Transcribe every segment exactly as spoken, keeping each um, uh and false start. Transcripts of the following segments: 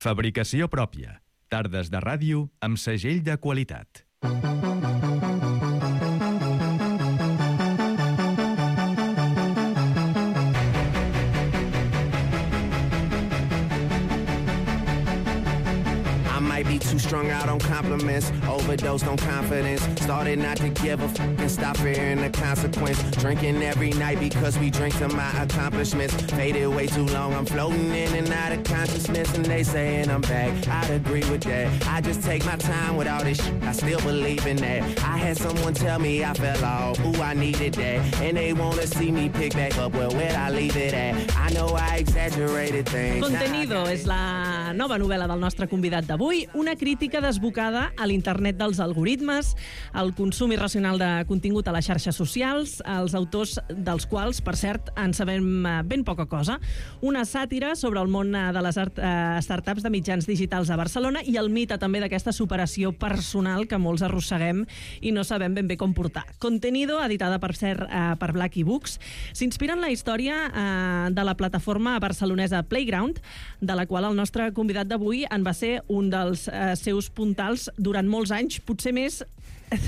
Fabricació pròpia. Tardes de ràdio amb segell de qualitat. Be too strung out on compliments, overdosed on confidence, started not to give a f*** and stop fearing the consequence, drinking every night because we drink to my accomplishments, faded way too long, I'm floating in and out of consciousness, and they saying I'm back, I'd agree with that, I just take my time with all this shit, I still believe in that, I had someone tell me I fell off, ooh I needed that, and they wanna see me pick back up, well where'd I leave it at, I know I exaggerated things. Contenido és la nova novel·la del nostre convidat d'avui, una crítica desbocada a l'internet dels algoritmes, al consum irracional de contingut a les xarxes socials, els autors dels quals, per cert, en sabem ben poca cosa. Una sàtira sobre el món de les startups de mitjans digitals a Barcelona i el mite també d'aquesta superació personal que molts arrosseguem i no sabem ben bé com portar. Contenido, editada per cert per Blacky Books, s'inspira en la història de la plataforma barcelonesa Playground, de la qual el nostre convidat d'avui en va ser un dels seus puntals durant molts anys, potser més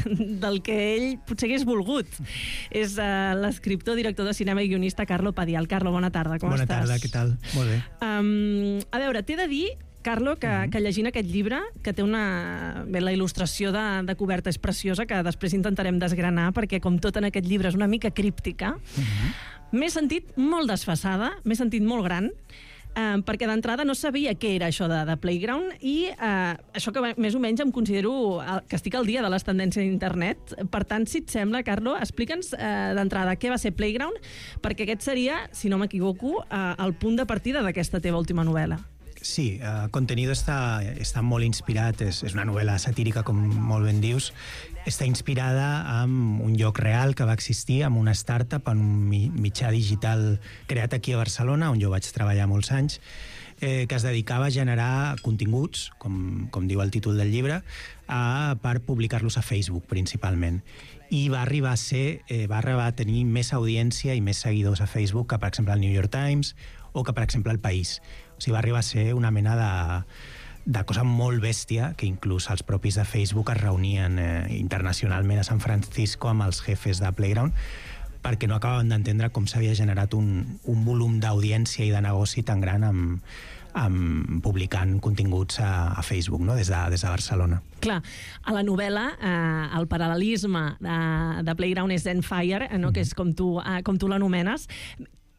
del que ell potser hagués volgut. És uh, l'escriptor, director de cinema i guionista Carlo Padial. Carlo, bona tarda, com bona estàs? Bona tarda, què tal? Molt bé. Um, a veure, t'he de dir, Carlo, que, uh-huh. que llegint aquest llibre, que té una... Bé, la il·lustració de, de coberta és preciosa, que després intentarem desgranar, perquè com tot en aquest llibre és una mica críptica, uh-huh. m'he sentit molt desfasada, m'he sentit molt gran, Uh, perquè d'entrada no sabia què era això de, de Playground i uh, això que més o menys em considero uh, que estic al dia de les tendències d'internet. Per tant, si et sembla, Carlo, explica'ns uh, d'entrada què va ser Playground, perquè aquest seria, si no m'equivoco, uh, el punt de partida d'aquesta teva última novel·la. Sí, uh, Contenido està, està molt inspirat, és, és una novel·la satírica, com molt ben dius, està inspirada en un lloc real que va existir, amb una startup, en un mitjà digital creat aquí a Barcelona, on jo vaig treballar molts anys, eh, que es dedicava a generar continguts, com, com diu el títol del llibre, a, per publicar-los a Facebook, principalment. I va arribar a ser, eh, va arribar a tenir més audiència i més seguidors a Facebook que, per exemple, el New York Times o que, per exemple, el País. O sigui, va arribar a ser una mena de... de cosa molt bèstia, que inclús els propis de Facebook es reunien eh, internacionalment a San Francisco amb els jefes de Playground perquè no acabaven d'entendre com s'havia generat un, un volum d'audiència i de negoci tan gran amb, amb publicant continguts a, a Facebook, no? des, de, des de Barcelona. Clar, a la novel·la eh, el paral·lelisme de, de Playground és Zenfire, eh, no? mm. que és com tu, eh, com tu l'anomenes.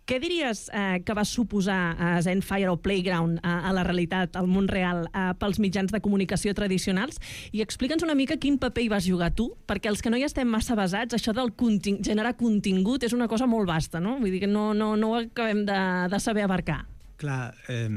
Què diries eh, que va suposar eh, Zenfire o Playground eh, a la realitat, al món real, eh, pels mitjans de comunicació tradicionals? I explica'ns una mica quin paper hi vas jugar tu, perquè els que no hi estem massa basats, això del conting- generar contingut és una cosa molt vasta, no? Vull dir que no, no, no ho acabem de, de saber abarcar. Clar, eh,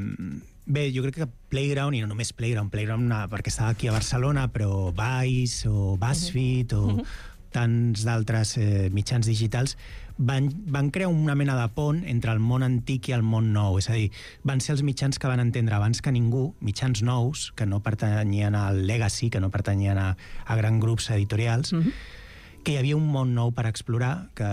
bé, jo crec que Playground, i no només Playground, Playground una, perquè estava aquí a Barcelona, però Vice o BuzzFeed uh-huh. o... Uh-huh. tants d'altres eh, mitjans digitals van, van crear una mena de pont entre el món antic i el món nou, és a dir, van ser els mitjans que van entendre abans que ningú, mitjans nous que no pertanyien al legacy, que no pertanyien a, a grans grups editorials, mm-hmm. que hi havia un món nou per explorar que,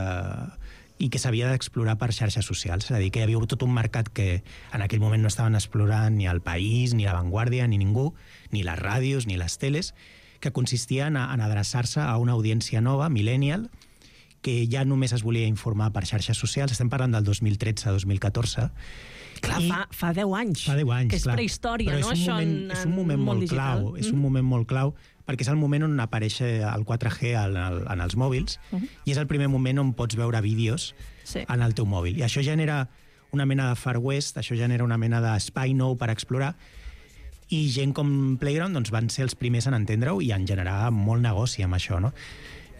i que s'havia d'explorar per xarxes socials, és a dir, que hi havia tot un mercat que en aquell moment no estaven explorant ni el País, ni la Vanguardia, ni ningú, ni les ràdios, ni les teles, que consistia en, en adreçar-se a una audiència nova, millennial, que ja només es volia informar per xarxes socials. Estem parlant del dos mil tretze a dos mil catorze. Clar, I fa, fa deu anys. Fa deu anys, que és clar. prehistòria, Però no? És un Això moment, en, és un moment molt, molt clau, mm. és un moment molt clau, perquè és el moment on apareix el quatre G en, el, en els mòbils, uh-huh. i és el primer moment on pots veure vídeos sí. en el teu mòbil. I això genera una mena de Far West, això genera una mena d'espai nou per explorar, i gent com Playground doncs, van ser els primers en entendre-ho i en generar molt negoci amb això, no?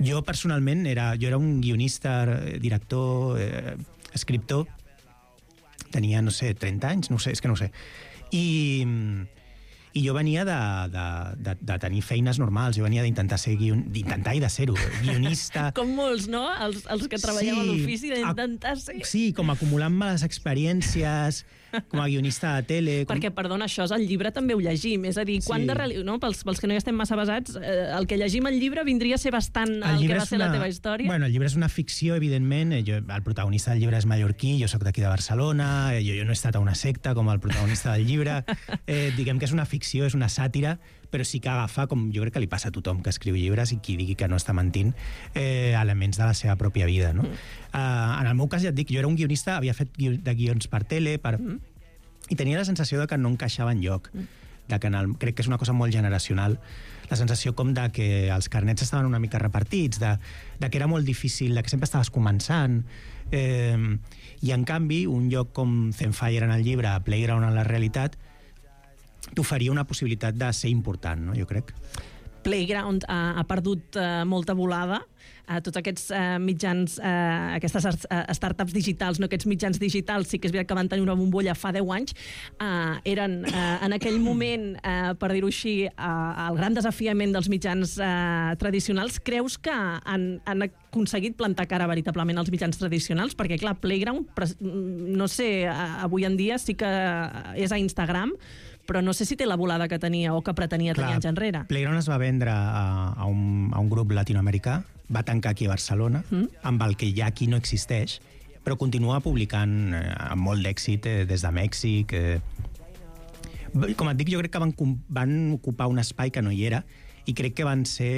Jo personalment era, jo era un guionista, director, eh, escriptor, tenia, no sé, trenta anys, no sé, és que no ho sé. I, I jo venia de, de, de, de tenir feines normals, jo venia d'intentar ser guion... d'intentar i de ser-ho, guionista... Com molts, no? Els, els que treballem sí, a l'ofici, d'intentar ser... Sí, com acumulant-me les experiències, com a guionista de tele... Com... Perquè, perdona, això és el llibre també ho llegim, és a dir, quan sí. de reali... no? pels, pels que no hi estem massa basats, eh, el que llegim al llibre vindria a ser bastant el, el que va ser una... la teva història? Bueno, el llibre és una ficció, evidentment, jo, el protagonista del llibre és mallorquí, jo sóc d'aquí de Barcelona, jo, jo no he estat a una secta com el protagonista del llibre, eh, diguem que és una ficció, és una sàtira, però sí que agafa, com jo crec que li passa a tothom que escriu llibres i qui digui que no està mentint, eh, elements de la seva pròpia vida. No? Mm. Uh, en el meu cas, ja et dic, jo era un guionista, havia fet guió, de guions per tele, per... Mm. i tenia la sensació de que no encaixava enlloc. Mm. De que en el... Crec que és una cosa molt generacional, la sensació com de que els carnets estaven una mica repartits, de, de que era molt difícil, de que sempre estaves començant. Eh, I, en canvi, un lloc com Zenfire en el llibre, Playground en la realitat, t'oferia una possibilitat de ser important, no? Jo crec. Playground ha, ha perdut uh, molta volada. Uh, tots aquests uh, mitjans, uh, aquestes uh, startups digitals, no aquests mitjans digitals, sí que és veritat que van tenir una bombolla fa deu anys, uh, eren uh, en aquell moment, uh, per dir-ho així, uh, el gran desafiament dels mitjans uh, tradicionals. Creus que han, han aconseguit plantar cara veritablement als mitjans tradicionals? Perquè, clar, Playground, no sé, uh, avui en dia sí que és a Instagram, però no sé si té la volada que tenia o que pretenia Clar, tenir anys enrere. Playground es va vendre a, a, un, a un grup latinoamericà, va tancar aquí a Barcelona, mm. amb el que ja aquí no existeix, però continua publicant eh, amb molt d'èxit eh, des de Mèxic. Eh. Com et dic, jo crec que van, van ocupar un espai que no hi era i crec que van ser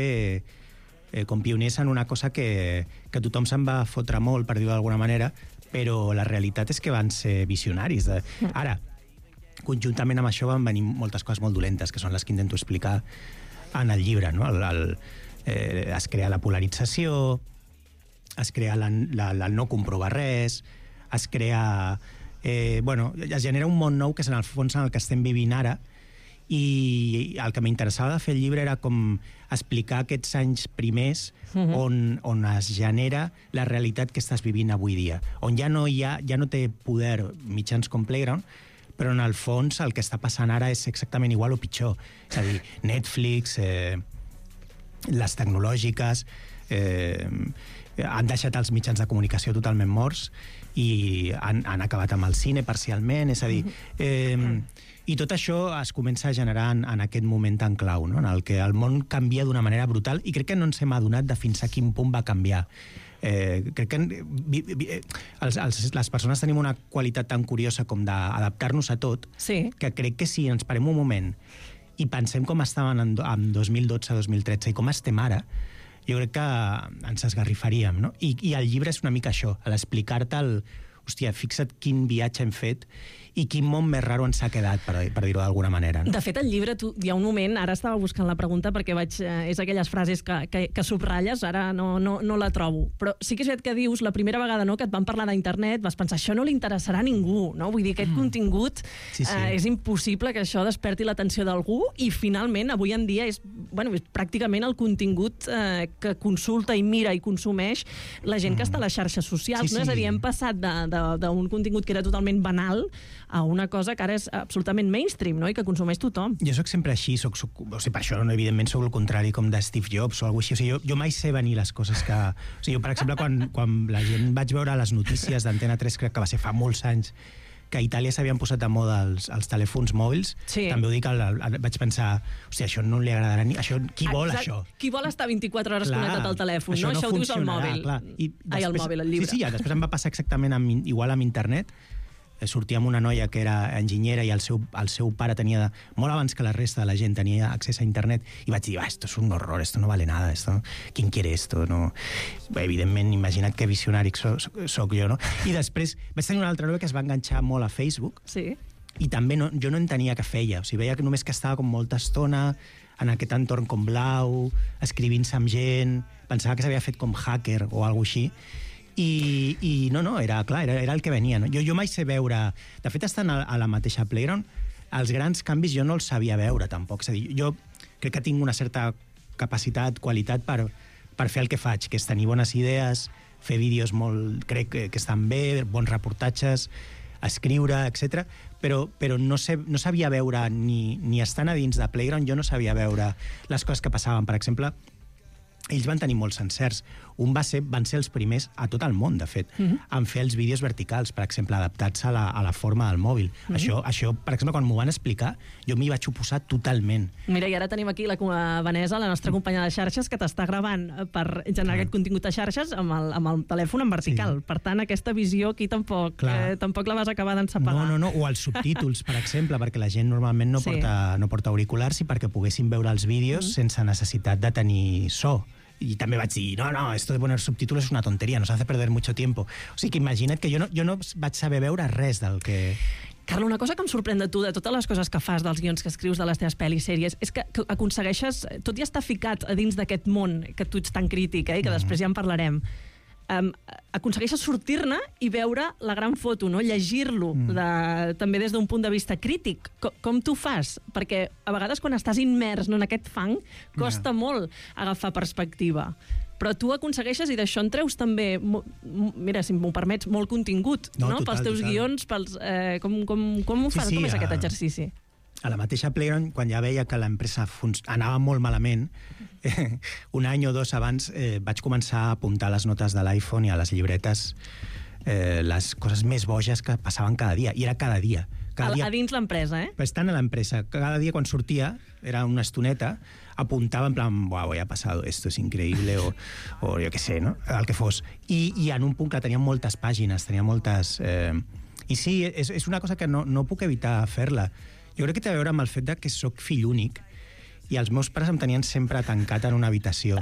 eh, com pioners en una cosa que, que tothom se'n va fotre molt, per dir-ho d'alguna manera, però la realitat és que van ser visionaris. De... Ara, conjuntament amb això van venir moltes coses molt dolentes, que són les que intento explicar en el llibre. No? El, el, eh, es crea la polarització, es crea la, la, la no comprovar res, es crea... Eh, bueno, es genera un món nou que és en el fons en el que estem vivint ara, i el que m'interessava de fer el llibre era com explicar aquests anys primers uh-huh. on, on es genera la realitat que estàs vivint avui dia, on ja no, hi ha, ja no té poder mitjans com Playground, però en el fons el que està passant ara és exactament igual o pitjor. És a dir, Netflix, eh, les tecnològiques, eh, han deixat els mitjans de comunicació totalment morts i han, han acabat amb el cine parcialment, és a dir... Eh, I tot això es comença a generar en, en aquest moment tan clau, no? En el que el món canvia d'una manera brutal i crec que no ens hem adonat de fins a quin punt va canviar. Eh, crec que vi, vi, els, els, les persones tenim una qualitat tan curiosa com d'adaptar-nos a tot, sí. que crec que si ens parem un moment i pensem com estaven en, en dos mil dotze dos mil tretze i com estem ara, jo crec que ens esgarrifaríem, no? I, i el llibre és una mica això, l'explicar-te el... Hòstia, fixa't quin viatge hem fet i quin món més raro ens ha quedat, per, per dir-ho d'alguna manera. No? De fet, el llibre, tu, hi ha un moment, ara estava buscant la pregunta perquè vaig, eh, és aquelles frases que, que, que subratlles, ara no, no, no la trobo. Però sí que és que dius, la primera vegada no, que et van parlar d'internet, vas pensar, això no li interessarà a ningú, no? Vull dir, aquest mm. contingut sí, sí. Eh, és impossible que això desperti l'atenció d'algú i finalment, avui en dia, és, bueno, és pràcticament el contingut eh, que consulta i mira i consumeix la gent mm. que està a les xarxes socials. Sí, no? sí. És a dir, hem passat de d'un contingut que era totalment banal a una cosa que ara és absolutament mainstream, no? I que consumeix tothom. Jo sóc sempre així, soc, soc, o sigui, per això, no, evidentment, sóc el contrari com de Steve Jobs o alguna cosa així. O sigui, jo, jo mai sé venir les coses que... O sigui, jo, per exemple, quan, quan la gent vaig veure les notícies d'Antena tres, crec que va ser fa molts anys, que a Itàlia s'havien posat de moda els, els telèfons mòbils, sí. també ho dic, el, el, vaig pensar, hòstia, això no li agradarà ni... Això, qui vol Exacte. Això? Qui vol estar vint-i-quatre hores clar, connectat al telèfon, això no? Això ho dius al mòbil. Clar. I després, Ai, al mòbil, el llibre. Sí, sí, ja, després em va passar exactament amb, igual amb internet. Sortia amb una noia que era enginyera i el seu, el seu pare tenia, de, molt abans que la resta de la gent, tenia accés a internet, i vaig dir, ah, esto es un horror, esto no vale nada, esto, ¿quién quiere esto? No. Evidentment, imagina't que visionari soc, soc jo, no? I després vaig tenir una altra noia que es va enganxar molt a Facebook, sí. i també no, jo no entenia què feia, o sigui, veia que només que estava com molta estona en aquest entorn com blau, escrivint-se amb gent, pensava que s'havia fet com hacker o alguna així, I, i no, no, era clar, era, era el que venia. No? Jo, jo mai sé veure... De fet, estant a, a la mateixa Playground, els grans canvis jo no els sabia veure, tampoc. És a dir, jo crec que tinc una certa capacitat, qualitat per, per fer el que faig, que és tenir bones idees, fer vídeos molt... crec que, que estan bé, bons reportatges, escriure, etcètera. Però, però no, sé, no sabia veure, ni, ni estant a dins de Playground, jo no sabia veure les coses que passaven. Per exemple, ells van tenir molts encerts. Un va ser, van ser els primers a tot el món, de fet, mm-hmm. en fer els vídeos verticals, per exemple, adaptats a la, a la forma del mòbil. Mm-hmm. Això, això, per exemple, quan m'ho van explicar, jo m'hi vaig oposar totalment. Mira, i ara tenim aquí la Vanessa, la nostra companya de xarxes, que t'està gravant per generar ah. aquest contingut a xarxes amb el, amb el telèfon en vertical. Sí. Per tant, aquesta visió aquí tampoc, eh, tampoc la vas acabar d'encepegar. No, no, no, o els subtítols, per exemple, perquè la gent normalment no, sí. porta, no porta auriculars i perquè poguessin veure els vídeos mm-hmm. sense necessitat de tenir so. I també vaig dir, no, no, esto de poner subtítulos es una tontería, nos hace perder mucho tiempo. O sigui que imagina't que jo no, jo no vaig saber veure res del que... Carlo, una cosa que em sorprèn de tu, de totes les coses que fas, dels guions que escrius de les teves pel·lis, sèries, és que, que aconsegueixes, tot i estar ficat a dins d'aquest món que tu ets tan crític, eh, i que mm. després ja en parlarem, um, aconsegueixes sortir-ne i veure la gran foto, no? Llegir-lo, mm. de, també des d'un punt de vista crític. Com, com tu fas? Perquè a vegades quan estàs immers, no, en aquest fang, costa yeah. molt agafar perspectiva. Però tu aconsegueixes, i d'això en treus també, mira, si m'ho permets, molt contingut, no? no? Total, pels teus total. guions, pels, eh, com, com, com ho fas? Sí, sí, com és a... aquest exercici? A la mateixa Playground, quan ja veia que l'empresa anava molt malament, eh, un any o dos abans eh, vaig començar a apuntar les notes de l'iPhone i a les llibretes eh, les coses més boges que passaven cada dia. I era cada dia. Cada a, dia... a dins l'empresa, eh? Estant a l'empresa. Cada dia quan sortia, era una estoneta, apuntava en plan, uau, ja ha passat, esto es increïble, o, o jo què sé, no? El que fos. I, i en un punt que tenia moltes pàgines, tenia moltes... Eh... I sí, és, és una cosa que no, no puc evitar fer-la. Jo crec que té a veure amb el fet de que sóc fill únic i els meus pares em tenien sempre tancat en una habitació.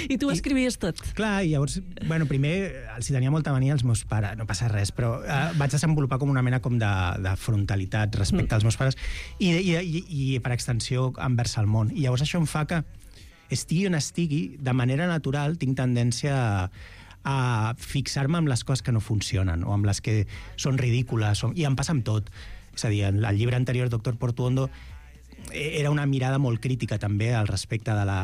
I tu I, escrivies tot. Clar, i llavors, bueno, primer els hi tenia molta mania als meus pares, no passa res, però eh, vaig desenvolupar com una mena com de, de frontalitat respecte mm. als meus pares i, i, i, i per extensió envers el món. I llavors això em fa que estigui on estigui, de manera natural tinc tendència a, a fixar-me amb les coses que no funcionen o amb les que són ridícules, o, i em passa amb tot. És a dir, el llibre anterior, Doctor Portuondo, era una mirada molt crítica també al respecte de la...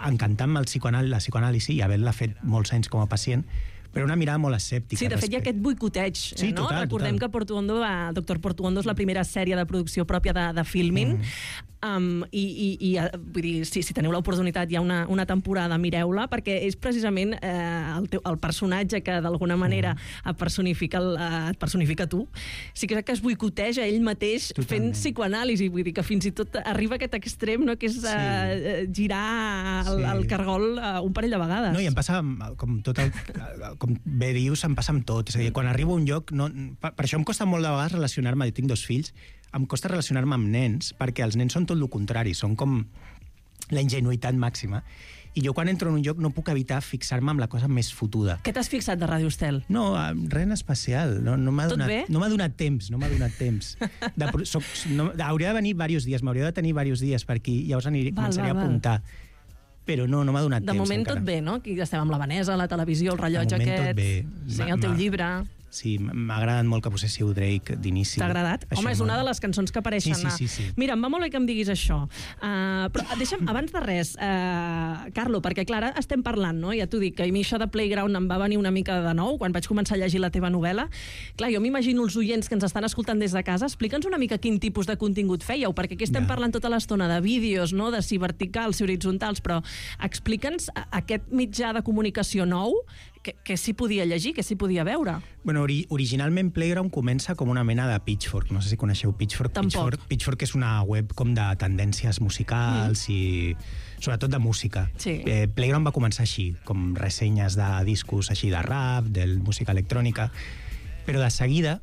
encantant-me el psicoanàlisi, la psicoanàlisi i havent-la fet molts anys com a pacient, però una mirada molt escèptica. Sí, de fet hi ha aquest boicoteig, sí, no? Total, Recordem total. que Portuondo, va, Doctor Portuondo és la primera sèrie de producció pròpia de, de Filmin, mm. Um, i, i, i vull dir, si, si teniu l'oportunitat hi ha una, una temporada, mireu-la, perquè és precisament eh, el, teu, el personatge que d'alguna manera mm. et, personifica el, et personifica tu, sí que, que es boicoteja ell mateix Totalment. fent psicoanàlisi, vull dir que fins i tot arriba a aquest extrem, no? Que és sí. eh, girar el, sí. el cargol eh, un parell de vegades. No, i em passa, com, tot el, com bé dius, em passa amb tot. És a dir, quan arribo a un lloc, no, per, per això em costa molt de vegades relacionar-me, jo tinc dos fills, em costa relacionar-me amb nens, perquè els nens són tot el contrari, són com la ingenuïtat màxima. I jo quan entro en un lloc no puc evitar fixar-me amb la cosa més fotuda. Què t'has fixat de Ràdio Estel? No, res en especial. No, no m'ha Tot donat, bé? No m'ha donat temps, no m'ha donat temps. De, soc, no, hauria de venir diversos dies, m'hauria de tenir diversos dies per aquí, llavors aniré, val, començaré val, a apuntar. Però no, no m'ha donat de temps. De moment encara. tot bé, no? Aquí estem amb la Vanessa, la televisió, el rellotge aquest... Tot bé. Sí, el teu llibre... Sí, m'ha agradat molt que poséssiu Drake d'inici. T'ha agradat? Això Home, és una de les cançons que apareixen. Sí, sí, sí, sí. Mira, em va molt bé que em diguis això. Uh, però deixa'm, abans de res, uh, Carlo, perquè clar, ara estem parlant, no? Ja t'ho dic, que a mi això de Playground em va venir una mica de nou, quan vaig començar a llegir la teva novel·la. Clar, jo m'imagino els oients que ens estan escoltant des de casa, explica'ns una mica quin tipus de contingut fèieu, perquè aquí estem ja. parlant tota l'estona de vídeos, no? De si verticals, si horitzontals, però explica'ns aquest mitjà de comunicació nou, que, que s'hi podia llegir, que s'hi podia veure. Bueno, ori originalment Playground comença com una mena de Pitchfork. No sé si coneixeu Pitchfork. Tampoc. Pitchfork, Pitchfork és una web com de tendències musicals mm. i sobretot de música. Sí. Eh, Playground va començar així, com ressenyes de discos així de rap, de música electrònica, però de seguida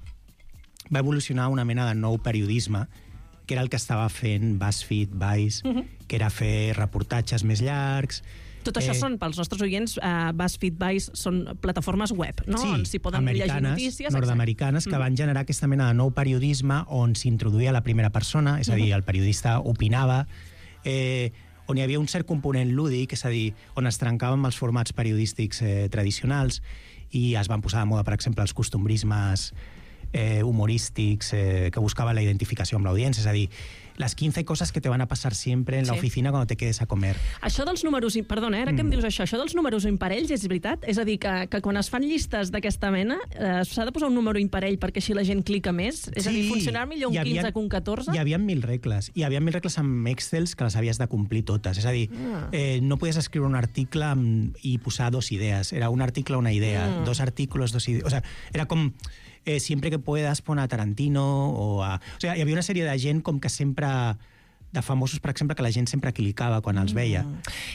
va evolucionar una mena de nou periodisme que era el que estava fent BuzzFeed, Vice, mm -hmm. que era fer reportatges més llargs. Tot això eh, són, pels nostres oients, uh, BuzzFeed, Vice, són plataformes web, no? Sí, on s'hi poden llegir notícies. Nord-americanes, que mm. van generar aquesta mena de nou periodisme on s'introduïa la primera persona, és a dir, el periodista opinava, eh, on hi havia un cert component lúdic, és a dir, on es trencaven els formats periodístics eh, tradicionals i es van posar de moda, per exemple, els costumbrismes eh, humorístics eh, que buscaven la identificació amb l'audiència, és a dir, las quince cosas que te van a pasar siempre en la Sí. oficina cuando te quedes a comer. Això dels números... Perdona, eh, ara que em dius això, això dels números imparells és veritat? És a dir, que, que quan es fan llistes d'aquesta mena eh, s'ha de posar un número imparell perquè així la gent clica més? És a dir, funcionar millor un hi havia- quinze que un catorze? Hi havia mil regles. Hi havia mil regles amb Excels que les havies de complir totes. És a dir, Ah. eh, no podies escriure un article amb, i posar dos idees. Era un article, una idea. Mm. Dos artículos, dos idees. O sea, era com... Eh, siempre que puedas pon a Tarantino o a... O sea, hi havia una sèrie de gent com que sempre... de famosos, per exemple, que la gent sempre clicava quan els veia.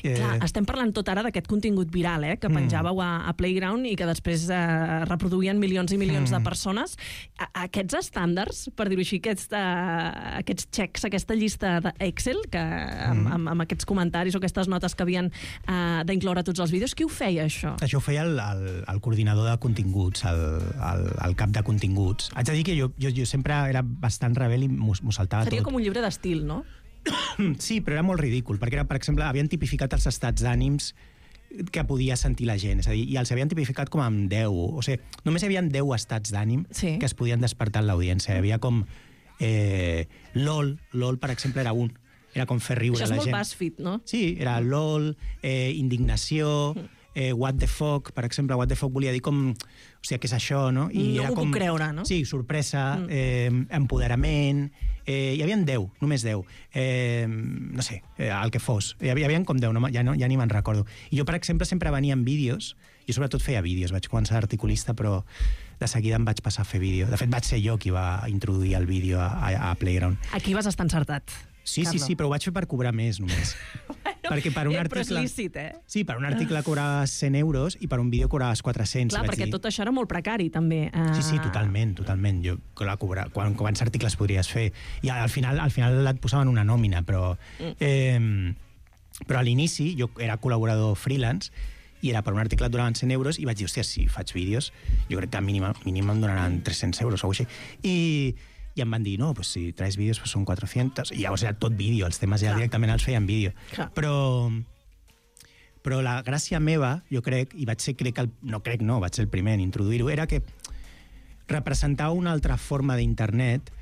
Eh... Clar, estem parlant tot ara d'aquest contingut viral, eh, que penjàveu a, a Playground i que després eh, reproduïen milions i milions mm. de persones. A, aquests estàndards, per dir-ho així, aquests, uh, aquests checks, aquesta llista d'Excel, que amb, Mm. amb, amb aquests comentaris o aquestes notes que havien uh, d'incloure tots els vídeos, qui ho feia, això? Això ho feia el, el, el coordinador de continguts, el, el, el cap de continguts. Haig de dir que jo, jo, jo sempre era bastant rebel i m'ho saltava Seria tot. com un llibre d'estil, no? Sí, però era molt ridícul, perquè era, per exemple, havien tipificat els estats d'ànims que podia sentir la gent, és a dir, i els havien tipificat com amb deu, o sigui, només hi havia deu estats d'ànim Sí. que es podien despertar en l'audiència. Hi havia com eh, LOL, LOL, per exemple, era un, era com fer riure Això és la molt gent. BuzzFeed, no? Sí, era LOL, eh, indignació, eh, what the fuck, per exemple, what the fuck volia dir com, o sigui, què és això, no? No era m'ho puc creure, no? Sí, sorpresa, eh, empoderament, eh, hi havia deu, només deu, eh, no sé, eh, el que fos, hi havia, hi havia com deu, no, ja, no, ja ni me'n recordo. I jo, per exemple, sempre venia en vídeos, jo sobretot feia vídeos, vaig començar d'articulista, però de seguida em vaig passar a fer vídeo. De fet, vaig ser jo qui va introduir el vídeo a, a, a Playground. Aquí vas estar encertat. Sí, sí, Carlo. sí, però ho vaig fer per cobrar més, només. Perquè per un eh, però és article... lícit, eh? Sí, per un article cobraves cent euros i per un vídeo cobraves quatre-cents. Clar, vaig perquè dir. tot això era molt precari, també. Uh... Sí, sí, totalment, totalment. Jo, clar, cobrar, quan, quants articles podries fer? I al final, al final et posaven una nòmina, però... Eh, però a l'inici jo era col·laborador freelance i era per un article et donaven cent euros i vaig dir, hòstia, si faig vídeos, jo crec que mínim, mínim em donaran tres-cents euros o alguna cosa així. I, i em van dir, no, pues si traes vídeos pues són quatre-cents, i llavors era tot vídeo, els temes ja Clar. directament els feien vídeo. Clar. Però, però la gràcia meva, jo crec, i vaig ser, crec que el, no crec no, vaig ser el primer en introduir-ho, era que representava una altra forma d'internet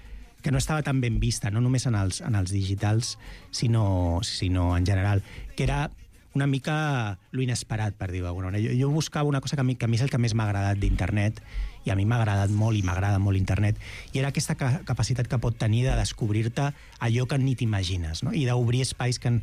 que no estava tan ben vista, no només en els, en els digitals, sinó, sinó en general, que era una mica lo inesperat, per dir-ho d'alguna manera. Jo, jo buscava una cosa que a, mi, que a mi és el que més m'ha agradat d'internet, i a mi m'ha agradat molt i m'agrada molt internet, i era aquesta ca capacitat que pot tenir de descobrir-te allò que ni t'imagines, no? I d'obrir espais que,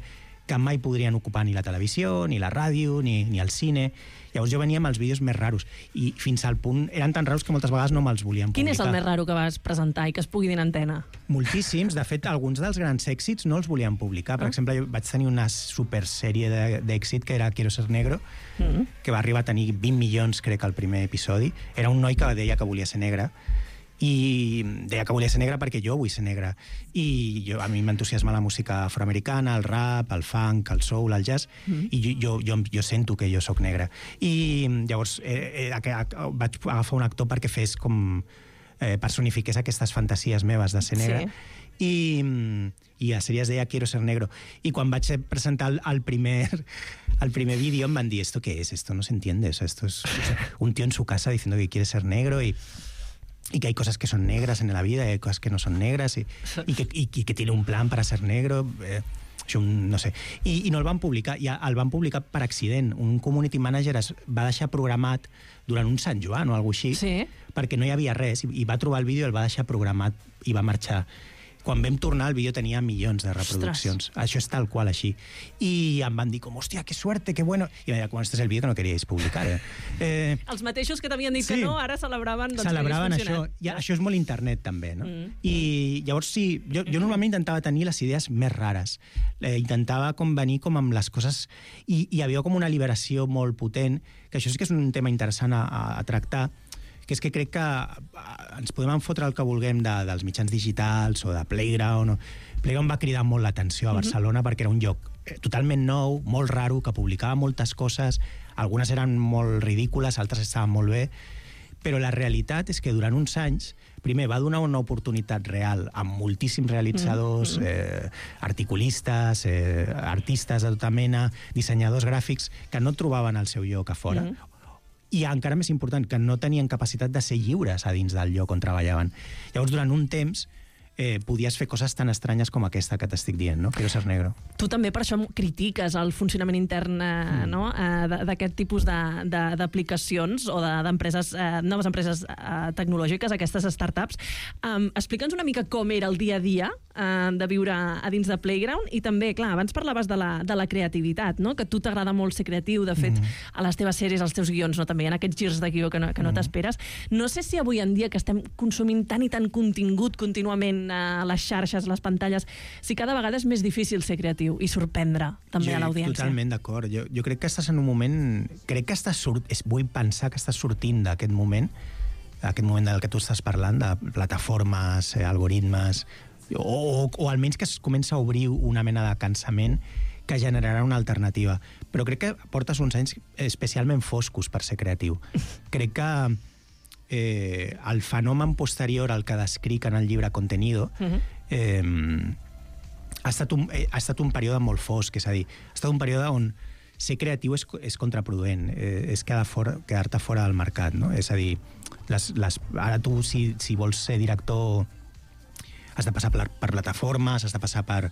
que mai podrien ocupar ni la televisió, ni la ràdio, ni, ni el cine. Llavors jo venia amb els vídeos més raros, i fins al punt eren tan raros que moltes vegades no me'ls volien publicar. Quin és el més raro que vas presentar i que es pugui dir en antena? Moltíssims. De fet, alguns dels grans èxits no els volien publicar. Per ah. exemple, jo vaig tenir una supersèrie d'èxit que era Quiero ser negro, mm. que va arribar a tenir vint milions, crec, al primer episodi. Era un noi que deia que volia ser negre, i deia que volia ser negre perquè jo vull ser negre. I jo, a mi m'entusiasma la música afroamericana, el rap, el funk, el soul, el jazz, mm. i jo, jo, jo, jo sento que jo sóc negre. I llavors eh, eh, vaig agafar un actor perquè fes com... Eh, personifiqués aquestes fantasies meves de ser negre. Sí. I, i la sèrie es deia Quiero ser negro. I quan vaig presentar el, el, primer, el primer vídeo em van dir, ¿esto qué es? Esto no se entiende. O sea, esto es un tío en su casa diciendo que quiere ser negro y... y que hay cosas que son negras en la vida y hay cosas que no son negras y, y, que, y, y que tiene un plan para ser negro, eh, no sé. I, i no el van publicar, i el van publicar per accident. Un community manager es va deixar programat durant un Sant Joan o alguna cosa així, sí. perquè no hi havia res, i, i va trobar el vídeo, el va deixar programat i va marxar. Quan vam tornar, el vídeo tenia milions de reproduccions. Ostres. Això és tal qual així. I em van dir com, hòstia, que suerte, que bueno. I em deia, quan este és el vídeo que no queríais publicar. Eh? Eh, Els mateixos que t'havien dit sí. que no, ara celebraven doncs, celebraven que hagués això. funcionat. I això és molt internet, també, no? Mm. I llavors sí, jo, jo normalment intentava tenir les idees més rares. Eh, intentava com venir com amb les coses... I hi havia com una liberació molt potent, que això sí que és un tema interessant a, a, a tractar, que és que crec que ens podem enfotre el que vulguem de, dels mitjans digitals o de Playground. O... Playground va cridar molt l'atenció a Barcelona mm-hmm. perquè era un lloc totalment nou, molt raro, que publicava moltes coses, algunes eren molt ridícules, altres estaven molt bé, però la realitat és que durant uns anys, primer, va donar una oportunitat real a moltíssims realitzadors, mm-hmm. eh, articulistes, eh, artistes de tota mena, dissenyadors gràfics, que no trobaven el seu lloc a fora. Mm-hmm. I encara més important, que no tenien capacitat de ser lliures a dins del lloc on treballaven. Llavors, durant un temps, eh, podies fer coses tan estranyes com aquesta que t'estic dient, no? Quiero ser negro. Tu també per això critiques el funcionament intern eh, mm. no? eh, d'aquest tipus d'aplicacions o d'empreses, de, eh, noves empreses eh, tecnològiques, aquestes startups. Um, Explica'ns una mica com era el dia a dia eh, de viure a dins de Playground i també, clar, abans parlaves de la, de la creativitat, no? Que a tu t'agrada molt ser creatiu, de fet, mm. a les teves sèries, als teus guions, no? També hi ha aquests girs de guió que no, que no mm. t'esperes. No sé si avui en dia que estem consumint tant i tant contingut contínuament a les xarxes, les pantalles, si cada vegada és més difícil ser creatiu i sorprendre també jo, a l'audiència. Totalment d'acord. Jo, jo crec que estàs en un moment... Crec que estàs sort, vull pensar que estàs sortint d'aquest moment, aquest moment del que tu estàs parlant, de plataformes, eh, algoritmes, o, o, o almenys que es comença a obrir una mena de cansament que generarà una alternativa. Però crec que portes uns anys especialment foscos per ser creatiu. Crec que eh, el fenomen posterior al que descric en el llibre Contenido uh-huh. eh, ha, estat un, eh, ha estat un període molt fosc, és a dir, ha estat un període on ser creatiu és, és contraproduent, eh, és quedar fora, quedar-te fora del mercat, no? És a dir, les, les, ara tu, si, si vols ser director, has de passar per, per plataformes, has de passar per...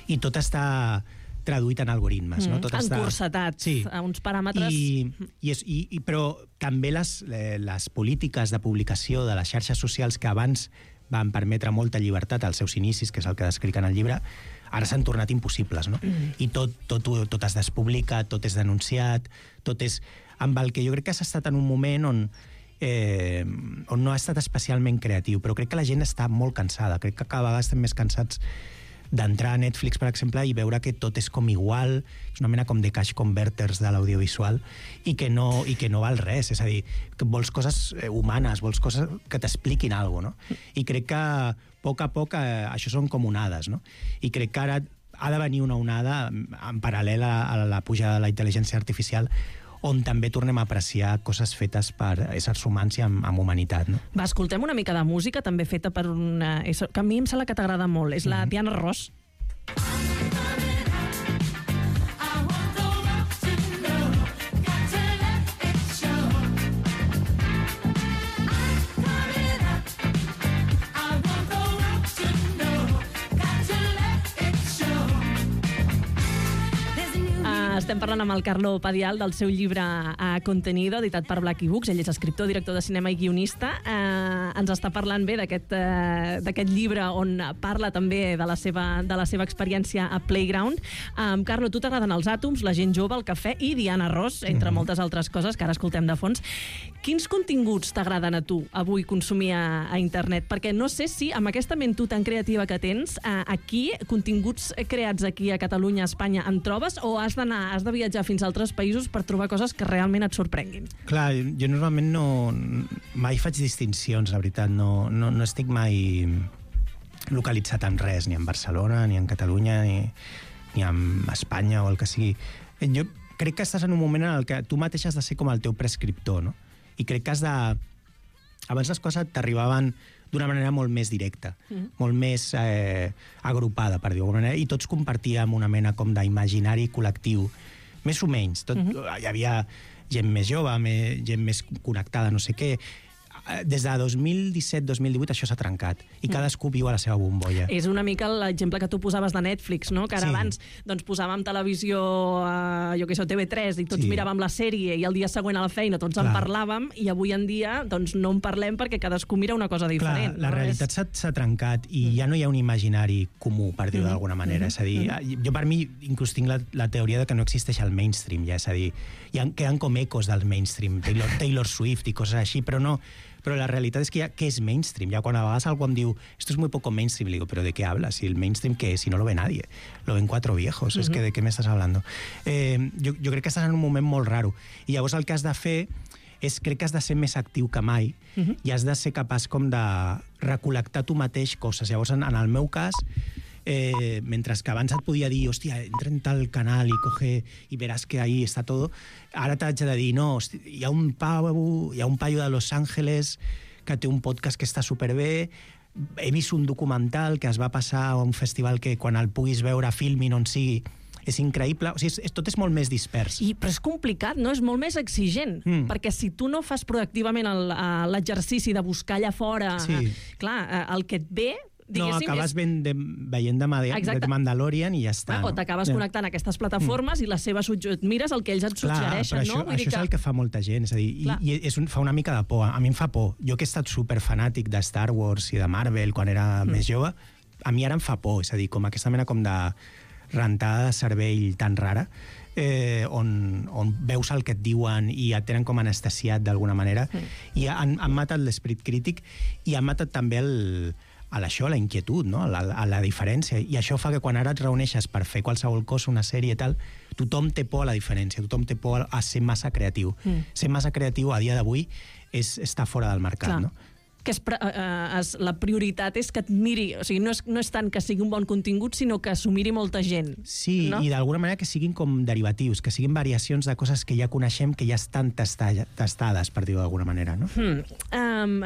I tot està traduït en algoritmes, mm, no? Tot encursetat està... sí. a uns paràmetres... I, i és, i, i, però també les, les polítiques de publicació de les xarxes socials que abans van permetre molta llibertat als seus inicis, que és el que descric en el llibre, ara s'han tornat impossibles, no? Mm. I tot, tot, tot es despublica, tot és denunciat, tot és... Amb el que jo crec que has estat en un moment on, eh, on no ha estat especialment creatiu, però crec que la gent està molt cansada, crec que cada vegada estem més cansats d'entrar a Netflix, per exemple, i veure que tot és com igual, és una mena com de cash converters de l'audiovisual, i que no, i que no val res, és a dir, que vols coses humanes, vols coses que t'expliquin alguna cosa, no? I crec que a poc a poc eh, això són com onades, no? I crec que ara ha de venir una onada en paral·lel a, a la pujada de la intel·ligència artificial, on també tornem a apreciar coses fetes per éssers humans i amb, amb humanitat, no? Va, escoltem una mica de música també feta per una... que a mi em sembla que t'agrada molt, és la mm-hmm. Diana Ross. Estem parlant amb el Carlo Padial del seu llibre a Contenido, editat per Blackie Books. Ell és escriptor, director de cinema i guionista. Eh, ens està parlant bé d'aquest eh, d'aquest llibre on parla també de la seva, de la seva experiència a Playground. Eh, Carlo, tu t'agraden els àtoms, la gent jove, el cafè i Diana Ross, entre mm-hmm. moltes altres coses que ara escoltem de fons. Quins continguts t'agraden a tu avui consumir a, a internet? Perquè no sé si amb aquesta ment tu tan creativa que tens, eh, aquí, continguts creats aquí a Catalunya, a Espanya, en trobes o has d'anar has de viatjar fins a altres països per trobar coses que realment et sorprenguin? Clar, jo normalment no... mai faig distincions, la veritat. No, no, no estic mai localitzat en res, ni en Barcelona, ni en Catalunya, ni, ni en Espanya o el que sigui. Jo crec que estàs en un moment en el que tu mateix has de ser com el teu prescriptor, no? I crec que has de... Abans les coses t'arribaven d'una manera molt més directa, mm. molt més eh, agrupada, per dir-ho d'alguna manera, i tots compartíem una mena com d'imaginari col·lectiu, més o menys. Tot, mm-hmm. Hi havia gent més jove, més, gent més connectada, no sé què. Des de dos mil disset dos mil divuit això s'ha trencat i cadascú viu a la seva bombolla. És una mica l'exemple que tu posaves de Netflix, no? Que ara sí. abans doncs, posàvem televisió a, jo què sé, T V tres i tots sí. miràvem la sèrie i el dia següent a la feina tots Clar. en parlàvem i avui en dia doncs, no en parlem perquè cadascú mira una cosa diferent. Clar, la no? realitat s'ha, s'ha trencat i mm. ja no hi ha un imaginari comú, per dir-ho mm. d'alguna manera. Mm. És a dir, mm. jo per mi inclús tinc la, la teoria de que no existeix el mainstream, ja, és a dir, hi ha, queden com ecos del mainstream, Taylor, Taylor Swift i coses així, però no... Però la realitat és que ja, què és mainstream? Ja quan a vegades algú em diu, esto es muy poco mainstream, le digo, ¿pero de qué hablas? Si el mainstream, ¿qué es? Si no lo ve nadie. Lo ven cuatro viejos. Uh-huh. Es que, ¿de qué me estás hablando? Eh, jo, jo crec que estàs en un moment molt raro. I llavors el que has de fer és, crec que has de ser més actiu que mai uh-huh. i has de ser capaç com de recol·lectar tu mateix coses. Llavors, en, en el meu cas, Eh, mentre que abans et podia dir, hòstia, entra en tal canal i coge i veràs que ahí està tot, ara t'haig de dir, no, hòstia, hi ha un pavo, hi ha un paio de Los Angeles que té un podcast que està superbé, he vist un documental que es va passar a un festival que quan el puguis veure Filmin on sigui, és increïble, o sigui, és, tot és molt més dispers. I, però és complicat, no? És molt més exigent, mm. perquè si tu no fas proactivament el, l'exercici de buscar allà fora, sí. clar, el que et ve No, acabes és... ben de, veient de, Mad- de Mandalorian i ja està. O no? t'acabes no. connectant a aquestes plataformes mm. i les seves et mires el que ells et suggereixen, Clar, això, no? Vull això dir que... és el que fa molta gent, és a dir, i, i és un, fa una mica de por. A mi em fa por. Jo que he estat superfanàtic de Star Wars i de Marvel quan era mm. més jove, a mi ara em fa por, és a dir, com aquesta mena com de rentada de cervell tan rara, eh, on, on veus el que et diuen i et tenen com anestesiat d'alguna manera, mm. i han, han matat l'esperit crític i han matat també el, a això, la inquietud, no? la, la, la diferència. I això fa que quan ara et reuneixes per fer qualsevol cosa, una sèrie i tal, tothom té por a la diferència, tothom té por a ser massa creatiu. Mm. Ser massa creatiu a dia d'avui és estar fora del mercat, Clar. no? Que és, uh, es, la prioritat és que et miri, o sigui, no és, no és tant que sigui un bon contingut, sinó que s'ho miri molta gent. Sí, no? I d'alguna manera que siguin com derivatius, que siguin variacions de coses que ja coneixem, que ja estan tasta- tastades, per dir-ho d'alguna manera, no? Hmm. Um,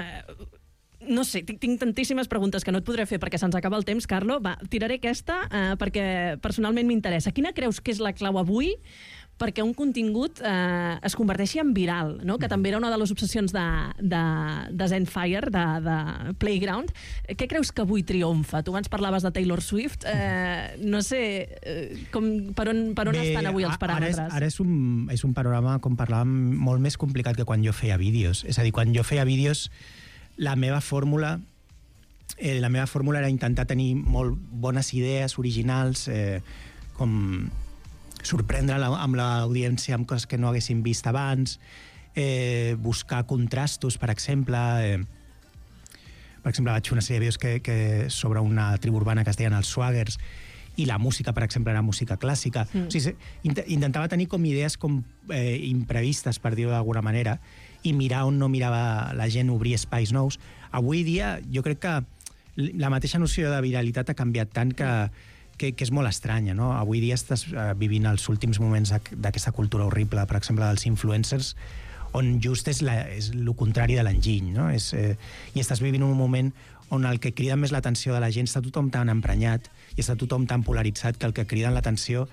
no sé, tinc, tinc tantíssimes preguntes que no et podré fer perquè se'ns acaba el temps, Carlo. Va, tiraré aquesta uh, perquè personalment m'interessa. Quina creus que és la clau avui perquè un contingut eh, es converteixi en viral, no? Que també era una de les obsessions de, de, de Zenfire, de, de Playground. Què creus que avui triomfa? Tu abans parlaves de Taylor Swift. Eh, no sé eh, com, per on, per on Bé, estan avui els paràmetres. Ara és, ara és, un, és un panorama, com parlàvem, molt més complicat que quan jo feia vídeos. És a dir, quan jo feia vídeos, la meva fórmula eh, la meva fórmula era intentar tenir molt bones idees originals, eh, com sorprendre la, amb l'audiència amb coses que no haguessin vist abans, eh, buscar contrastos, per exemple. Eh, per exemple, vaig fer una sèrie de vídeos que, que sobre una tribu urbana que es deien els Swaggers, i la música, per exemple, era música clàssica. Mm. O sigui, intentava tenir com idees com eh, imprevistes, per dir-ho d'alguna manera, i mirar on no mirava la gent, obrir espais nous. Avui dia, jo crec que la mateixa noció de viralitat ha canviat tant que Que, que és molt estranya, no? Avui dia estàs uh, vivint els últims moments d'aquesta cultura horrible, per exemple, dels influencers, on just és, la, és el contrari de l'enginy, no? És, eh, I estàs vivint un moment on el que crida més l'atenció de la gent està tothom tan emprenyat i està tothom tan polaritzat que el que crida l'atenció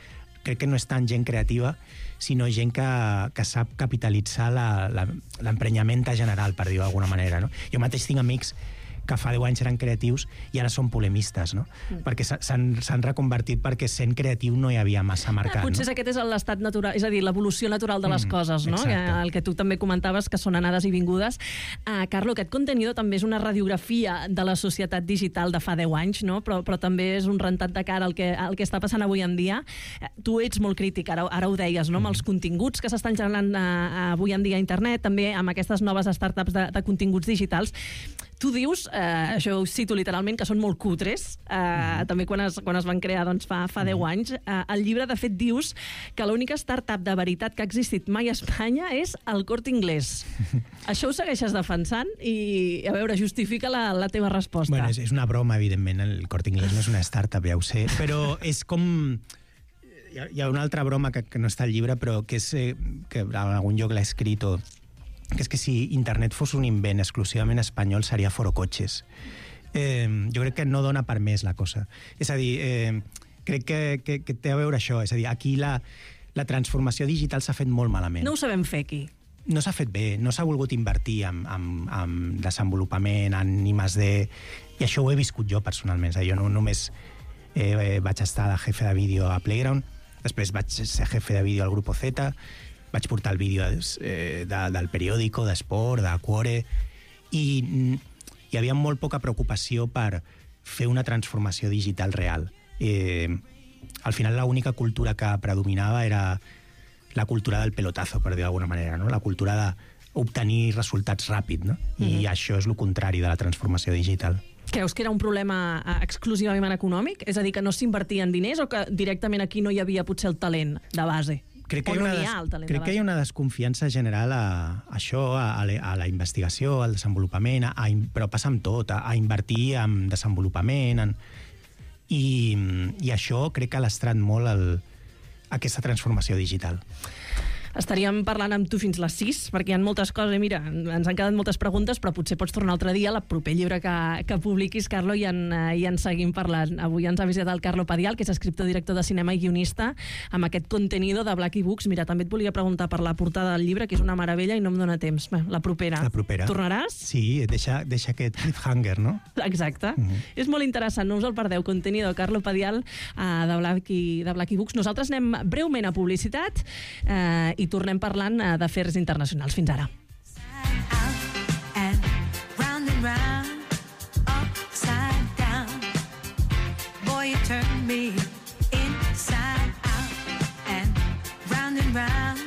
crec que no és tant gent creativa, sinó gent que, que sap capitalitzar l'emprenyament general, per dir-ho d'alguna manera, no? Jo mateix tinc amics que fa deu anys eren creatius i ara són polemistes, no? Mm. Perquè s'han reconvertit perquè sent creatiu no hi havia massa mercat. Ah, potser no? aquest és l'estat natural, és a dir, l'evolució natural de les mm, coses, no? Que, el que tu també comentaves, que són anades i vingudes. Uh, Carlo, aquest contenido també és una radiografia de la societat digital de fa deu anys, no? Però, però també és un rentat de cara al que, al que està passant avui en dia. Uh, tu ets molt crític, ara, ara ho deies, no? Mm. Amb els continguts que s'estan generant uh, avui en dia a internet, també amb aquestes noves startups de, de continguts digitals. Tu dius, eh, això ho cito literalment, que són molt cutres, eh, mm. també quan es, quan es van crear doncs, fa, fa deu anys. Eh, el llibre, de fet, dius que l'única startup de veritat que ha existit mai a Espanya és el Corte Inglés. Això ho segueixes defensant i, a veure, justifica la, la teva resposta. Bueno, és, és una broma, evidentment, el Corte Inglés no és una startup, ja ho sé, però és com... Hi ha, hi ha una altra broma que, que no està al llibre, però que és eh, que en algun lloc l'ha escrit o... que és que si internet fos un invent exclusivament espanyol seria Forocoches. Eh, jo crec que no dona per més la cosa. És a dir, eh, crec que, que, que té a veure això. És a dir, aquí la, la transformació digital s'ha fet molt malament. No ho sabem fer aquí. No s'ha fet bé, no s'ha volgut invertir en, en, en desenvolupament, en I más D, i això ho he viscut jo personalment. És a dir, jo no només eh, vaig estar de jefe de vídeo a Playground, després vaig ser jefe de vídeo al Grupo Z, vaig portar el vídeo eh, de, del periòdico, d'Esport, de Quore, i mm, hi havia molt poca preocupació per fer una transformació digital real. Eh, al final l'única cultura que predominava era la cultura del pelotazo, per dir d'alguna manera, no? La cultura d'obtenir resultats ràpid, no? Mm-hmm. I això és el contrari de la transformació digital. Creus que era un problema exclusivament econòmic? És a dir, que no s'invertien diners o que directament aquí no hi havia potser el talent de base? Crec que, hi ha, des... crec que hi ha una desconfiança general a, a això, a, a, la, a la investigació, al desenvolupament, a, a, però passa amb tot, a, a invertir en desenvolupament, en... I, i això crec que ha lastrat molt el, aquesta transformació digital. Estaríem parlant amb tu fins les sis, perquè hi ha moltes coses, i mira, ens han quedat moltes preguntes, però potser pots tornar altre dia, al proper llibre que, que publiquis, Carlo, i en, i en seguim parlant. Avui ens ha visitat el Carlo Padial, que és escriptor, director de cinema i guionista, amb aquest contenido de Blacky Books. Mira, també et volia preguntar per la portada del llibre, que és una meravella i no em dóna temps. Bé, la propera. La propera. Tornaràs? Sí, deixa, deixa aquest cliffhanger, no? Exacte. Mm-hmm. És molt interessant, no us el perdeu. Contenido, Carlo Padial, uh, de, Blacky, de Blacky Books. Nosaltres anem breument a publicitat uh, i tornem parlant uh, d'afers internacionals. Fins ara. Turn me inside out and round and round.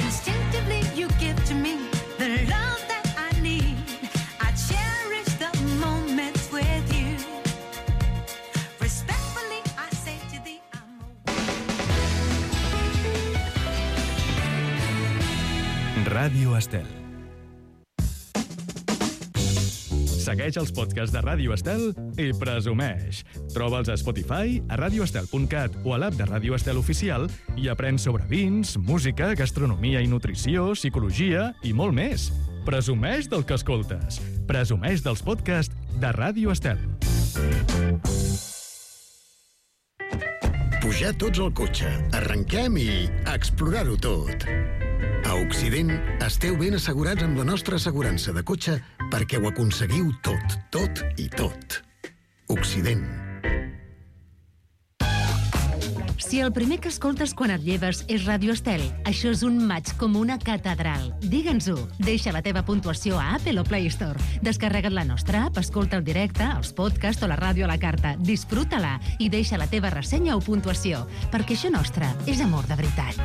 Instinctively you give to me the love that I need. I cherish the moments with you. Respectfully I say to thee I'm a... Ràdio Estel. Segueix els podcasts de Ràdio Estel i presumeix. Troba'ls a Spotify, a radioestel punt cat o a l'app de Ràdio Estel Oficial i aprèn sobre vins, música, gastronomia i nutrició, psicologia i molt més. Presumeix del que escoltes. Presumeix dels podcasts de Ràdio Estel. Pujar tots al cotxe, arrenquem i explorar-ho tot. A Occident esteu ben assegurats amb la nostra assegurança de cotxe perquè ho aconseguiu tot, tot i tot. Occident. Si el primer que escoltes quan et lleves és Ràdio Estel, això és un maig com una catedral. Digue'ns-ho. Deixa la teva puntuació a Apple o Play Store. Descarrega't la nostra app, escolta el directe, els podcasts o la ràdio a la carta. Disfruta-la i deixa la teva ressenya o puntuació, perquè això nostre és amor de veritat.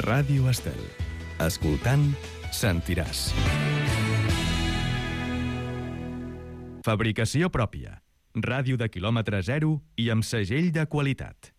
Ràdio Estel. Escoltant, sentiràs. Fabricació pròpia. Ràdio de quilòmetre zero i amb segell de qualitat.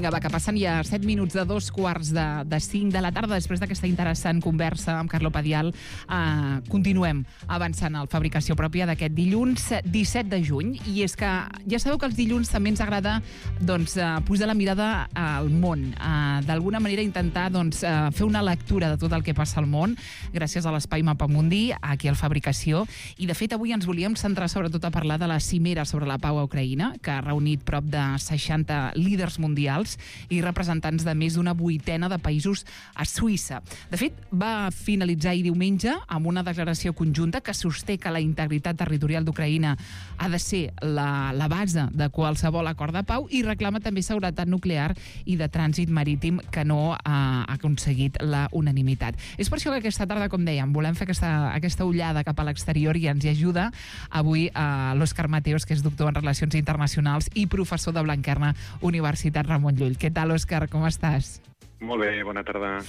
Va, que passen ja set minuts de dos quarts de, de cinc de la tarda després d'aquesta interessant conversa amb Carlo Padial. Uh, continuem avançant a la fabricació pròpia d'aquest dilluns disset de juny, i és que ja sabeu que els dilluns també ens agrada doncs, uh, posar la mirada al món, uh, d'alguna manera intentar doncs, uh, fer una lectura de tot el que passa al món gràcies a l'Espai Mapamundi aquí al Fabricació, i de fet avui ens volíem centrar sobretot a parlar de la cimera sobre la pau a Ucraïna, que ha reunit prop de seixanta líders mundials i representants de més d'una vuitena de països a Suïssa. De fet, va finalitzar ahir diumenge amb una declaració conjunta que sosté que la integritat territorial d'Ucraïna ha de ser la, la base de qualsevol acord de pau, i reclama també seguretat nuclear i de trànsit marítim, que no ha aconseguit la unanimitat. És per això que aquesta tarda, com dèiem, volem fer aquesta, aquesta ullada cap a l'exterior, i ens hi ajuda avui a l'Òscar Mateos, que és doctor en Relacions Internacionals i professor de Blanquerna, Universitat Ramon Llull. Què tal, Òscar? Com estàs? Molt bé, bona tarda.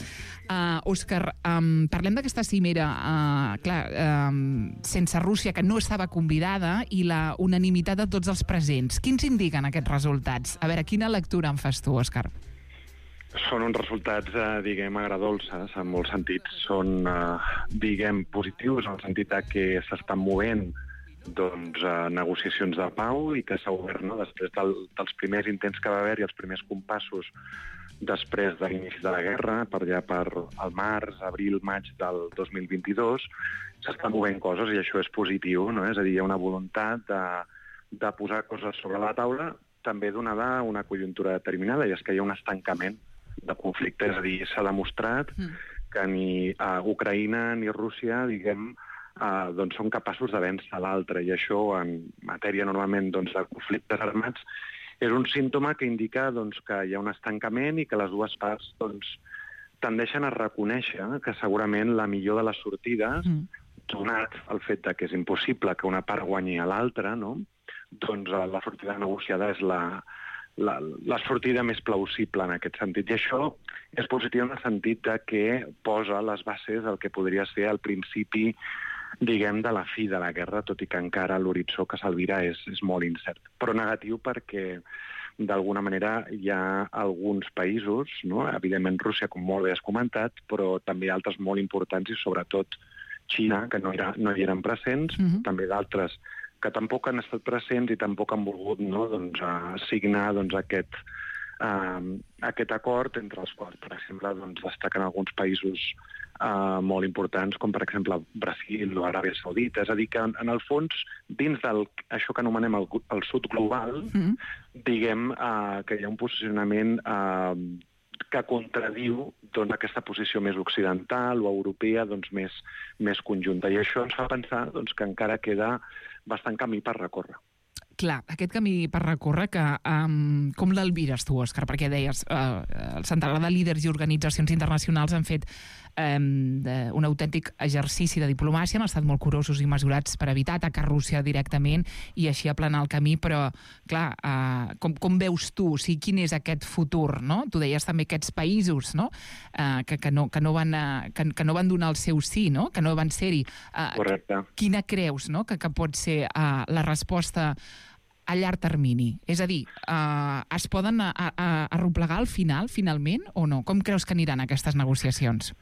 Uh, Òscar, um, parlem d'aquesta cimera, uh, clar, um, sense Rússia, que no estava convidada, i la unanimitat de tots els presents. Quins indiquen aquests resultats? A veure, quina lectura en fas tu, Òscar? Són uns resultats, eh, diguem, agradolces, en molts sentits. Són, eh, diguem, positius, en el sentit que s'estan movent doncs, eh, negociacions de pau, i que s'ha obert, no?, després del, dels primers intents que va haver i els primers compassos després de l'inici de la guerra, per allà per el març, abril, maig del dos mil vint-i-dos, s'estan movent coses, i això és positiu, no? És a dir, hi ha una voluntat de, de posar coses sobre la taula, també donada una conjuntura determinada, i és que hi ha un estancament de conflicte. És a dir, s'ha demostrat mm. que ni uh, Ucraïna ni Rússia, diguem, Uh, doncs són capaços de vèncer l'altre, i això en matèria normalment doncs, de conflictes armats és un símptoma que indica doncs, que hi ha un estancament, i que les dues parts doncs, tendeixen a reconèixer que segurament la millor de les sortides, mm. donat el fet de que és impossible que una part guanyi a l'altra, no? Doncs la sortida negociada és la, la, la sortida més plausible en aquest sentit. I això és positiu en el sentit de que posa les bases del que podria ser el principi, diguem, de la fi de la guerra, tot i que encara l'horitzó que s'albira és, és molt incert. Però negatiu perquè, d'alguna manera, hi ha alguns països, no? Evidentment Rússia, com molt bé has comentat, però també altres molt importants i sobretot Xina, que no, era, no hi eren presents, mm-hmm. també d'altres que tampoc han estat presents i tampoc han volgut, no, doncs, uh, signar doncs, aquest, uh, aquest acord, entre els quals, per exemple, doncs, destaquen alguns països uh, molt importants, com per exemple Brasil o Aràbia Saudita. És a dir, que en, en el fons, dins del això que anomenem el, el sud global, mm-hmm. diguem uh, que hi ha un posicionament uh, que contradiu doncs, aquesta posició més occidental o europea, doncs, més, més conjunta. I això ens fa pensar doncs, que encara queda bastant camí per recórrer. Clar, aquest camí per recórrer, que, um, com l'albires tu, Òscar? Perquè deies, uh, el centenar de líders i organitzacions internacionals han fet um, de, un autèntic exercici de diplomàcia, han estat molt curosos i mesurats per evitar atacar Rússia directament i així aplanar el camí, però, clar, uh, com, com veus tu? O sigui, quin és aquest futur, no? Tu deies també aquests països, no? Uh, que, que, no, que, no van, uh, que, que no van donar el seu sí, no? Que no van ser-hi. Uh, Correcte. Quina creus, no?, que, que pot ser uh, la resposta a llarg termini? És a dir, uh, es poden a, a, arreplegar al final, finalment, o no? Com creus que aniran aquestes negociacions?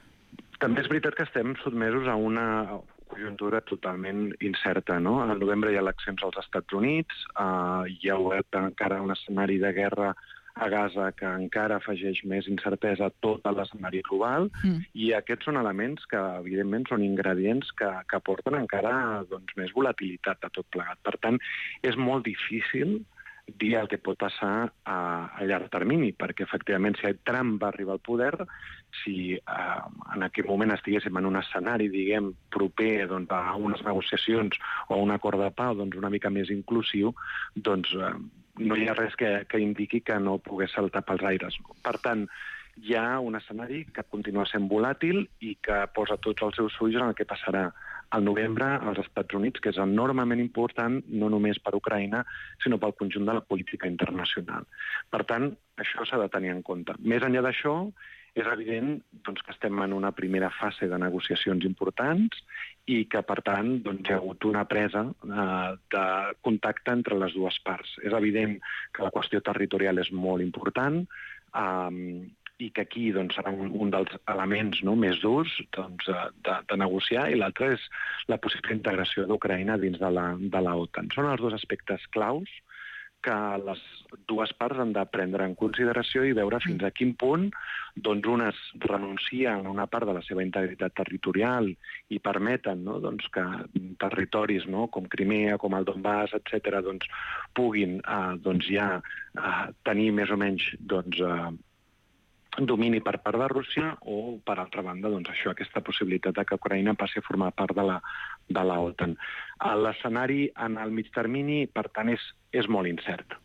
També és veritat que estem sotmesos a una conjuntura totalment incerta, no? Al novembre hi ha eleccions als Estats Units, uh, hi ha obert encara un escenari de guerra a Gaza que encara afegeix més incertesa a tot l'escenari global, mm. i aquests són elements que, evidentment, són ingredients que, que porten encara doncs, més volatilitat a tot plegat. Per tant, és molt difícil dir el que pot passar a, a llarg termini, perquè, efectivament, si Trump va arribar al poder, si eh, en aquell moment estiguéssim en un escenari, diguem, proper doncs, a unes negociacions o a un acord de pau doncs, una mica més inclusiu, doncs eh, no hi ha res que, que indiqui que no pogués saltar pels aires. Per tant, hi ha un escenari que continua sent volàtil i que posa tots els seus ulls en el que passarà al novembre als Estats Units, que és enormement important, no només per Ucraïna, sinó pel conjunt de la política internacional. Per tant, això s'ha de tenir en compte. Més enllà d'això, és evident doncs, que estem en una primera fase de negociacions importants i que, per tant, doncs, hi ha hagut una presa eh, de contacte entre les dues parts. És evident que la qüestió territorial és molt important eh, i que aquí doncs, serà un, un dels elements, no, més durs doncs, de, de negociar, i l'altre és la possible integració d'Ucraïna dins de la, de la OTAN. Són els dos aspectes claus que les dues parts han de prendre en consideració i veure fins a quin punt doncs, unes renuncien a una part de la seva integritat territorial i permeten, no, doncs, que territoris, no, com Crimea, com el Donbass, etcètera, doncs, puguin eh, doncs, ja eh, tenir més o menys doncs, eh, domini per part de Rússia, o, per altra banda, doncs, això, aquesta possibilitat de que Ucraïna passi a formar part de la, de la OTAN. L'escenari en el mig termini, per tant, és, és molt incert.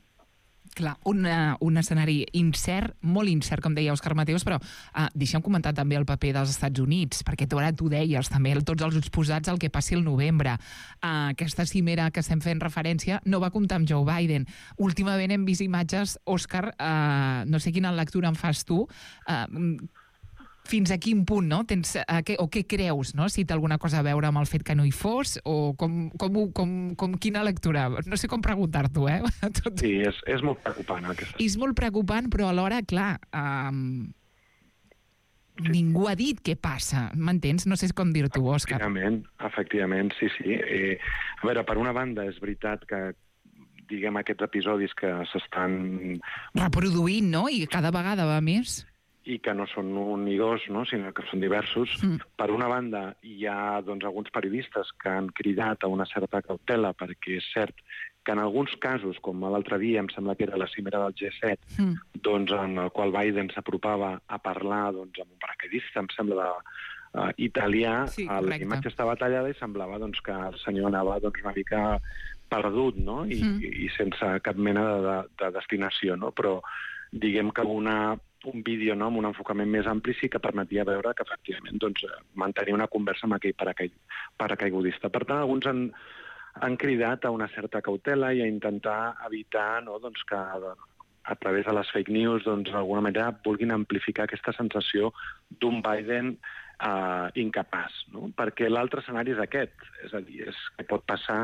Clar, un, uh, un escenari incert, molt incert, com deia Òscar Mateos, però uh, deixa'm comentar també el paper dels Estats Units, perquè tu ara tu deies també, tots els ulls posats al que passi el novembre. Uh, aquesta cimera que estem fent referència no va comptar amb Joe Biden. Últimament hem vist imatges, Òscar, uh, no sé quina lectura en fas tu, uh, fins a quin punt, no? Tens, uh, què, o què creus, no? Si té alguna cosa a veure amb el fet que no hi fos, o com, com, com, com quina lectura? No sé com preguntar-t'ho, eh? Tot... Sí, és, és molt preocupant. Aquesta... És molt preocupant, però alhora, clar, um, sí. Ningú ha dit què passa, m'entens? No sé com dir-t'ho, Òscar. Efectivament, efectivament, sí, sí. Eh, a veure, per una banda, és veritat que diguem aquests episodis que s'estan... reproduint, no? I cada vegada va més... i que no són un ni dos, no? Sinó que són diversos. Mm. Per una banda, hi ha doncs, alguns periodistes que han cridat a una certa cautela, perquè és cert que en alguns casos, com l'altre dia, em sembla que era la cimera del G set, mm. doncs, en el qual Biden s'apropava a parlar doncs, amb un paracaidista, em sembla, de, uh, italià, sí, la imatge estava tallada i semblava doncs, que el senyor anava doncs, una mica perdut, no? I, mm. i, i sense cap mena de, de, de destinació, no? Però diguem que una... un vídeo, no, amb un enfocament més ampli sí que permetia veure que, efectivament, doncs, mantenir una conversa amb aquell paracaigudista. Per tant, alguns han, han cridat a una certa cautela i a intentar evitar, no, doncs, que a través de les fake news, doncs, d'alguna manera vulguin amplificar aquesta sensació d'un Biden uh, incapaç, no? Perquè l'altre escenari és aquest, és a dir, és que pot passar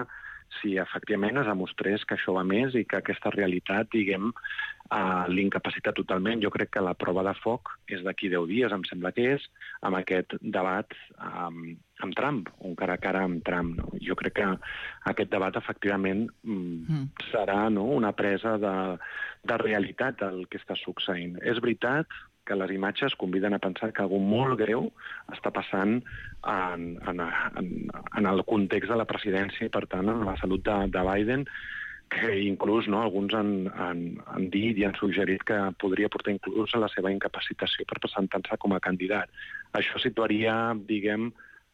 si efectivament es demostrés que això va més i que aquesta realitat, diguem, uh, l'incapacita totalment. Jo crec que la prova de foc és d'aquí deu dies, em sembla que és, amb aquest debat um, amb Trump, un cara a cara amb Trump. No? Jo crec que aquest debat, efectivament, mm. serà, no?, una presa de, de realitat del que està succeint. És veritat que les imatges conviden a pensar que algú molt greu està passant en, en, en, en el context de la presidència i, per tant, en la salut de, de Biden, que inclús, no, alguns han, han, han dit i han suggerit que podria portar inclús a la seva incapacitació per presentar-se com a candidat. Això situaria, diguem,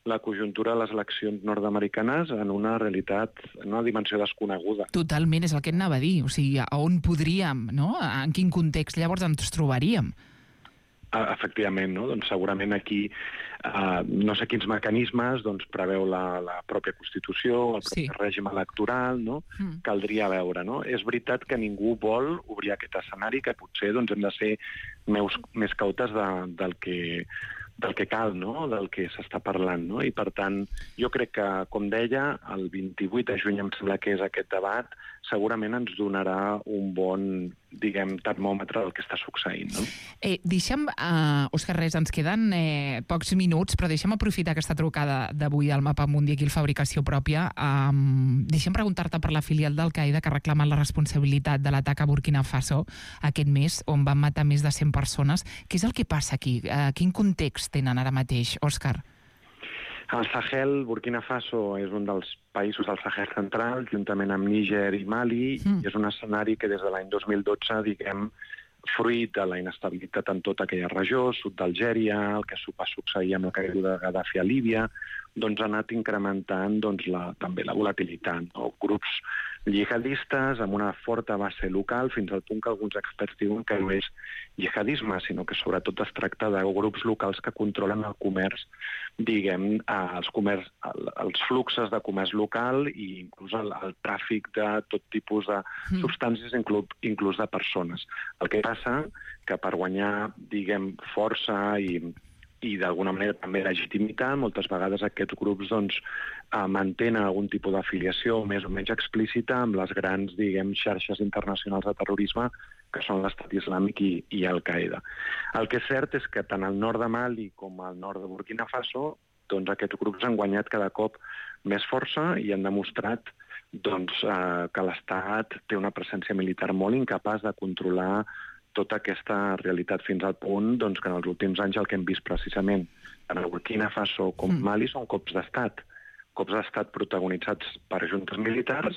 la conjuntura de les eleccions nord-americanes en una realitat, en una dimensió desconeguda. Totalment, és el que anava a dir. O sigui, a on podríem, no? En quin context llavors ens trobaríem? Efectivament, no? Doncs segurament aquí uh, no sé quins mecanismes doncs, preveu la, la pròpia Constitució, el propi sí. règim electoral, no? Mm. Caldria veure, no? És veritat que ningú vol obrir aquest escenari, que potser doncs, hem de ser meus, més cautes de, del, que, del que cal, no? Del que s'està parlant, no? I per tant, jo crec que, com deia, el vint-i-vuit de juny em sembla que és aquest debat, segurament ens donarà un bon, diguem, termòmetre del que està succeint, no? Eh, deixa'm, uh, Òscar Res, ens queden eh, pocs minuts, però deixa'm aprofitar aquesta trucada d'avui al Mapa Mundi aquí al Fabricació Pròpia. Um, deixa'm preguntar-te per la filial d'Al-Qaeda que reclama la responsabilitat de l'atac a Burkina Faso aquest mes, on van matar més de cent persones. Què és el que passa aquí? Uh, quin context tenen ara mateix, Òscar? El Sahel, Burkina Faso, és un dels països del Sahel central, juntament amb Níger i Mali, mm. i és un escenari que des de l'any dos mil dotze, diguem, fruit de la inestabilitat en tota aquella regió, sud d'Algèria, el que va succeir amb la caiguda de Gaddafi a Líbia, doncs ha anat incrementant doncs, la, també la volatilitat. No? Grups jihadistes amb una forta base local, fins al punt que alguns experts diuen que no és jihadisme, sinó que sobretot es tracta de grups locals que controlen el comerç, diguem, els, comerç, els fluxes de comerç local i inclús el, el tràfic de tot tipus de substàncies, inclús, inclús de persones. El que passa que per guanyar, diguem, força i i d'alguna manera també legitimitat, moltes vegades aquests grups doncs, eh, mantenen algun tipus d'afiliació més o menys explícita amb les grans, diguem, xarxes internacionals de terrorisme que són l'Estat Islàmic i, i Al-Qaeda. El que és cert és que tant al nord de Mali com al nord de Burkina Faso doncs, aquests grups han guanyat cada cop més força i han demostrat doncs, eh, que l'Estat té una presència militar molt incapaç de controlar tota aquesta realitat fins al punt doncs, que en els últims anys el que hem vist precisament en el Burkina Faso com mm. Mali són cops d'estat. Cops d'estat protagonitzats per juntes militars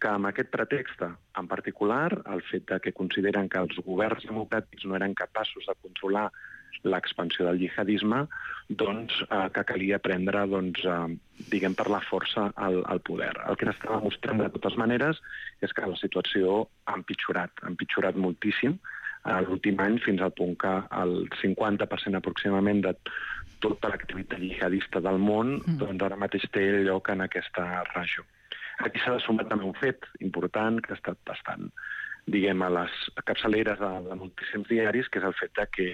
que amb aquest pretext, en particular, el fet de que consideren que els governs democràtics no eren capaços de controlar l'expansió del jihadisme, doncs eh, que calia prendre, doncs, eh, diguem, per la força al, al poder. El que s'està demostrant de totes maneres és que la situació ha empitjorat, ha empitjorat moltíssim l'últim any, fins al punt que el cinquanta per cent aproximadament de tota l'activitat jihadista del món mm. doncs ara mateix té lloc en aquesta regió. Aquí s'ha de sumar també un fet important que ha estat bastant, diguem, a les capçaleres de, de moltíssims diaris, que és el fet de que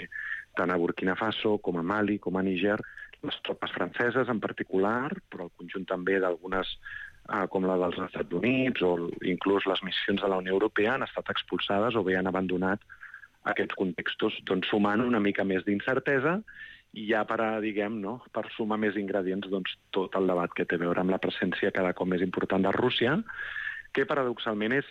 tant a Burkina Faso com a Mali com a Níger, les tropes franceses en particular, però el conjunt també d'algunes eh, com la dels Estats Units o inclús les missions de la Unió Europea han estat expulsades o bé han abandonat aquests contextos, doncs sumant una mica més d'incertesa i ja per, a, diguem, no, per sumar més ingredients doncs, tot el debat que té a veure amb la presència cada cop més important de Rússia, que paradoxalment és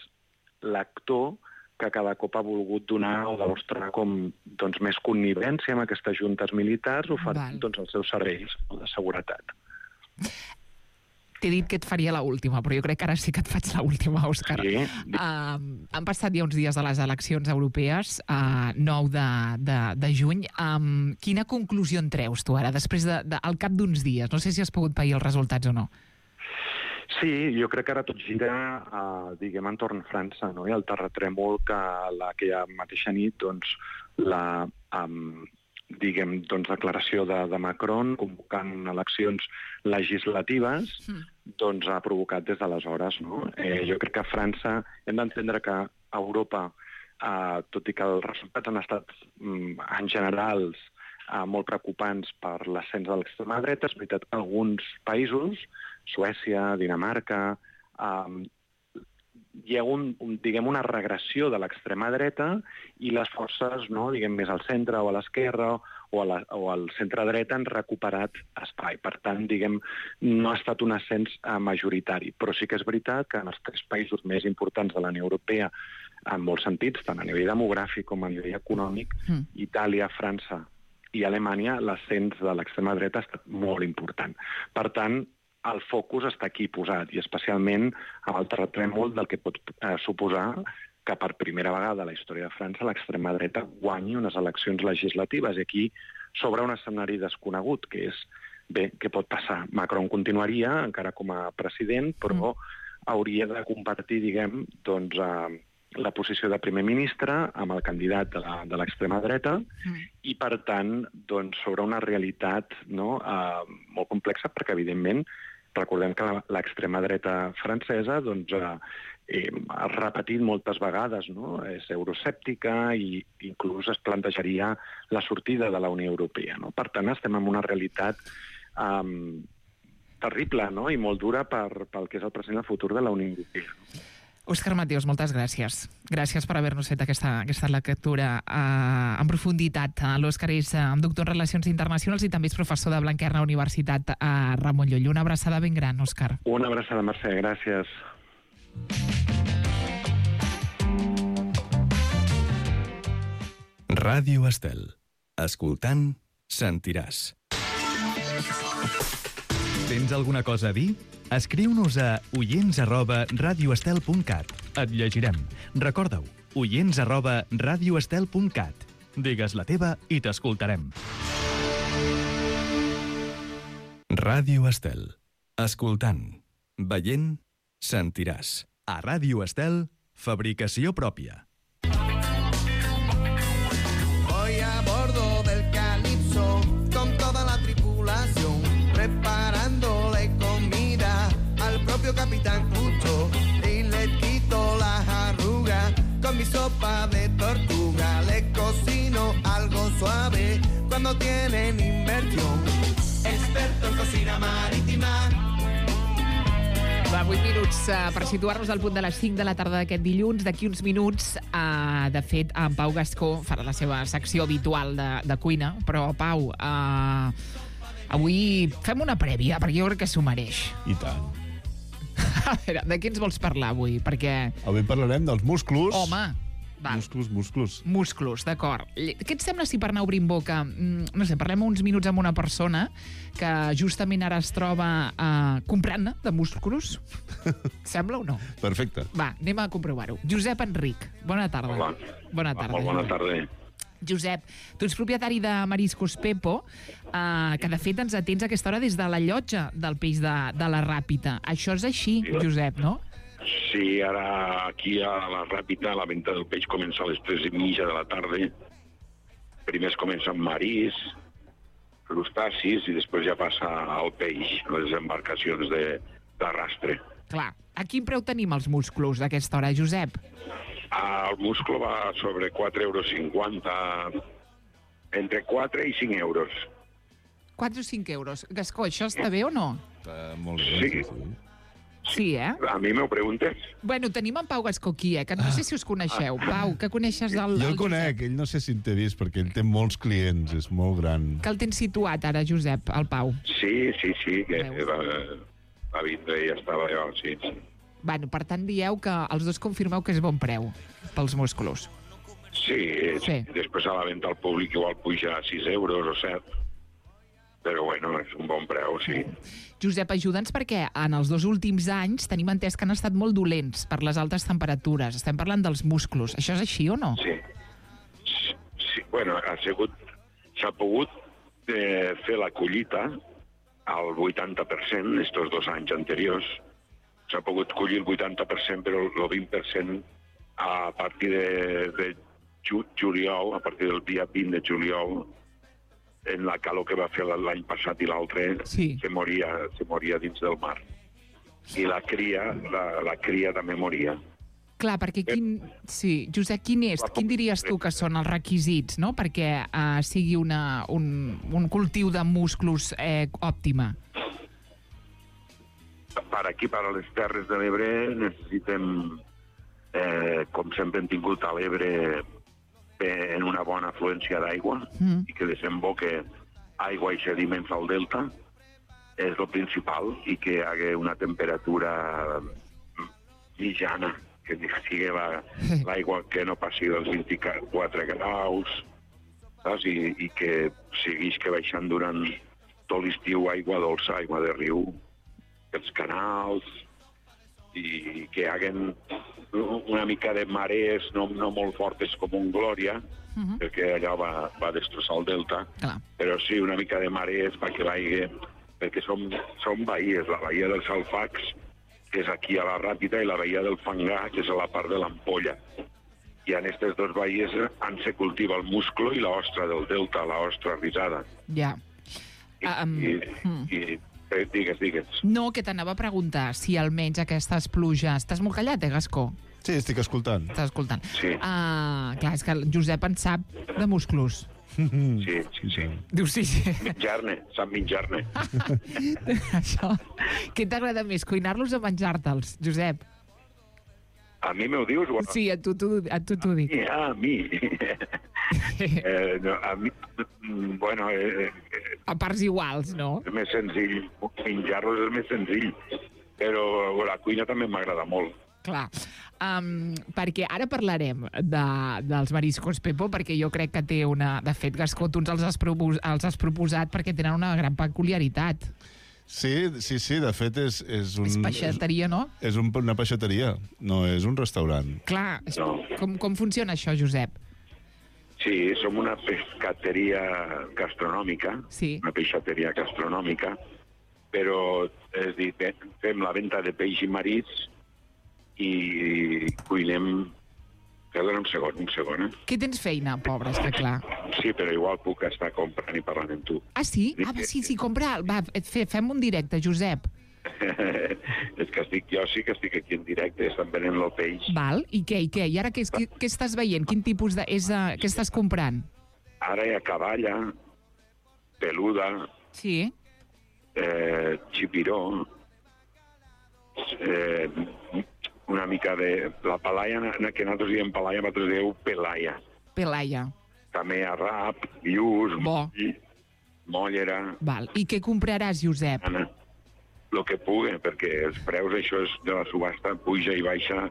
l'actor que cada cop ha volgut donar o demostrar com doncs, més connivència amb aquestes juntes militars oferint doncs, els seus serveis de seguretat. T'he dit que et faria la última, però jo crec que ara sí que et faig la última, Òscar. Sí. Uh, han passat ja uns dies de les eleccions europees, uh, nou de, de, de juny. Um, quina conclusió en treus tu ara, després de, de, al cap d'uns dies? No sé si has pogut pair els resultats o no. Sí, jo crec que ara tot gira, uh, diguem, entorn França, no? I el terratrèmol que aquella mateixa nit, doncs, la... Um, diguem, doncs, declaració de, de Macron convocant eleccions legislatives, mm. doncs ha provocat des d'aleshores, no? Eh, jo crec que a França hem d'entendre que a Europa uh, tot i que els resultats han estat, um, en generals, uh, molt preocupants per l'ascens de l'extrema dreta, és veritat que alguns països, Suècia, Dinamarca, um, hi ha un, un, diguem, una regressió de l'extrema dreta i les forces, no, diguem, més al centre o a l'esquerra o, a la, o al centre-dreta han recuperat espai. Per tant, diguem, no ha estat un ascens eh, majoritari. Però sí que és veritat que en els tres països més importants de la Unió Europea, en molts sentits, tant a nivell demogràfic com a nivell econòmic, mm. Itàlia, França i Alemanya, l'ascens de l'extrema dreta ha estat molt important. Per tant, el focus està aquí posat, i especialment amb el terratrèmol del que pot eh, suposar que per primera vegada a la història de França l'extrema dreta guanyi unes eleccions legislatives. I aquí s'obre un escenari desconegut, que és, bé, què pot passar? Macron continuaria, encara com a president, però mm. hauria de compartir, diguem, doncs, eh, la posició de primer ministre amb el candidat de l'extrema dreta mm. i, per tant, doncs, sobre una realitat, no, eh, molt complexa, perquè, evidentment, recordem que l'extrema dreta francesa doncs, eh, ha repetit moltes vegades, no? És euroscèptica i inclús es plantejaria la sortida de la Unió Europea. No? Per tant, estem en una realitat eh, terrible, no? I molt dura per, pel que és el present i el futur de la Unió Europea. No? Òscar Mateos, moltes gràcies. Gràcies per haver-nos fet aquesta, aquesta lectura eh, en profunditat. L'Òscar és eh, doctor en Relacions Internacionals i també és professor de Blanquerna Universitat a Ramon Llull. Una abraçada ben gran, Òscar. Una abraçada, Mercè. Gràcies. Ràdio Estel. Escoltant, sentiràs. Tens alguna cosa a dir? Escriu-nos a oients arroba radioestel punt cat. Et llegirem. Recorda-ho, oients arroba radioestel punt cat. Digues la teva i t'escoltarem. Ràdio Estel. Escoltant, veient, sentiràs. A Ràdio Estel, fabricació pròpia. Voy a bordo del Calypso con toda la tripulación, preparándole comida al propio Capitán Cucho y le quito las arrugas con mi sopa de tortuga. Le cocino algo suave cuando tienen inversión. Experto en cocina marítima. Va, vuit minuts uh, per situar-nos al punt de les cinc de la tarda d'aquest dilluns. D'aquí uns minuts, uh, de fet, en Pau Gascó farà la seva secció habitual de, de cuina. Però, Pau, uh, avui fem una prèvia, perquè jo crec que s'ho mereix. I tant. A veure, de què ens vols parlar avui? Perquè... Avui parlarem dels músculs. Home, va. Músculs, músculs. Músculs, d'acord. Què et sembla si per anar obrint boca, no sé, parlem uns minuts amb una persona que justament ara es troba uh, comprant-ne de músculs? Sembla o no? Perfecte. Va, anem a comprovar-ho. Josep Enric, bona tarda. Hola. Bona tarda. Molt bona tarda. Josep, tu ets propietari de Mariscos Pepo, eh, que de fet ens atens a aquesta hora des de la llotja del peix de, de la Ràpita. Això és així, sí, Josep, no? Sí, ara aquí a la Ràpita la venda del peix comença a les tres i mitja de la tarda. Primer es comença amb marís, crustacis, i després ja passa al peix, les embarcacions d'arrastre. Clar. A quin preu tenim els musclos d'aquesta hora, Josep? El musclo va sobre quatre euros cinquanta, entre quatre i cinc euros. quatre o cinc euros. Gascó, això està bé o no? Està molt bé. Sí. sí. Sí, eh? A mi m'ho preguntes? Bueno, tenim en Pau Gascó aquí, eh? Que no sé si us coneixeu. Pau, que coneixes el... Jo el conec, ell no sé si t'he vist, perquè ell té molts clients, és molt gran. Que el tens situat ara, Josep, el Pau? Sí, sí, sí, que va, va vindre i ja estava allò, sí, sí. Bueno, per tant, dieu que els dos confirmeu que és bon preu pels músculs. Sí, sí. Després a la venda al públic igual puja a sis euros o set. Però bueno, és un bon preu, sí. Josep, ajuda'ns perquè en els dos últims anys tenim entès que han estat molt dolents per les altes temperatures. Estem parlant dels músculs. Això és així o no? Sí. Sí, sí. Bueno, ha sigut... S'ha pogut eh, fer la collita al vuitanta per cent estos dos anys anteriors. S'ha pogut collir el vuitanta per cent, però el vint per cent a partir de, de juliol, a partir del dia vint de juliol, en la calor que va fer l'any passat i l'altre, sí. se, moria, se moria dins del mar. I la cria, la, la cria també moria. Clar, perquè quin... Sí, Josep, quin és, quin diries tu que són els requisits, no?, perquè uh, sigui una, un, un cultiu de musclos eh, òptima? Per aquí, per a les Terres de l'Ebre, necessitem, eh, com sempre hem tingut a l'Ebre, eh, en una bona afluència d'aigua mm. i que desemboque aigua i sediments al delta, és el principal, i que hi hagi una temperatura mitjana, que sigui l'aigua la, que no passi dels vint-i-quatre graus, saps? I, i que seguís que baixant durant tot l'estiu aigua dolça, aigua de riu, els canals, i que hi haguen una mica de marees no, no molt fortes com un Glòria, uh-huh. perquè allò va, va destrossar el delta, clar. Però sí, una mica de marees perquè l'aigua, perquè són, són bahies, la bahia dels Alfacs, que és aquí a la Ràpita, i la bahia del Fangar, que és a la part de l'Ampolla. I en aquestes dues bahies on se cultiva el musclo i l'ostra del delta, l'ostra risada. Ja. I, um, i, hmm. i eh, digues, digues. No, que t'anava a preguntar si almenys aquestes pluges... Estàs molt callat, eh, Gascó? Sí, estic escoltant. Estàs escoltant. Sí. Uh, clar, és que el Josep en sap de musclos. Sí, sí, sí. Diu sí, sí. Menjar-ne, sap menjar-ne. Això. Què t'agrada més, cuinar-los o menjar-te'ls, Josep? A mi m'ho dius? Bueno, sí, a tu t'ho dic. A mi? eh, no, a mi... Bueno... Eh, eh, a parts iguals, no? És més senzill. Menjar-los és més senzill. Però la cuina també m'agrada molt. Clar. Um, perquè ara parlarem de, dels mariscos, Pepo, perquè jo crec que té una... De fet, Gascó, tu ens els has, propos, els has proposat perquè tenen una gran peculiaritat. Sí, sí, sí, de fet és... És, un, és peixateria, no? És, és un, una peixateria, no és un restaurant. Clar, no. com, com funciona això, Josep? Sí, som una pescateria gastronòmica, sí. Una peixateria gastronòmica, però és dir, fem la venda de peix i marits i cuinem... Perdona un segon, un segon, eh? Que tens feina, pobre, està clar. Sí, però igual puc estar comprant i parlant amb tu. Ah, sí? Ah, va, sí, sí, compra. Va, fe, fem un directe, Josep. És que estic, jo sí que estic aquí en directe, estan venent el peix. Val, i què, i què? I ara què, què, què estàs veient? Quin tipus de... És, uh, què estàs comprant? Ara hi ha caballa, peluda, sí. eh, xipiró, eh, una mica de... La palaia, que nosaltres diem palaia, nosaltres dieu pelaia. Pelaia. També arrap, lluç, moll, mollera... Val. I què compraràs, Josep? Anna, el que pugui, perquè els preus, això és de la subhasta, puja i baixa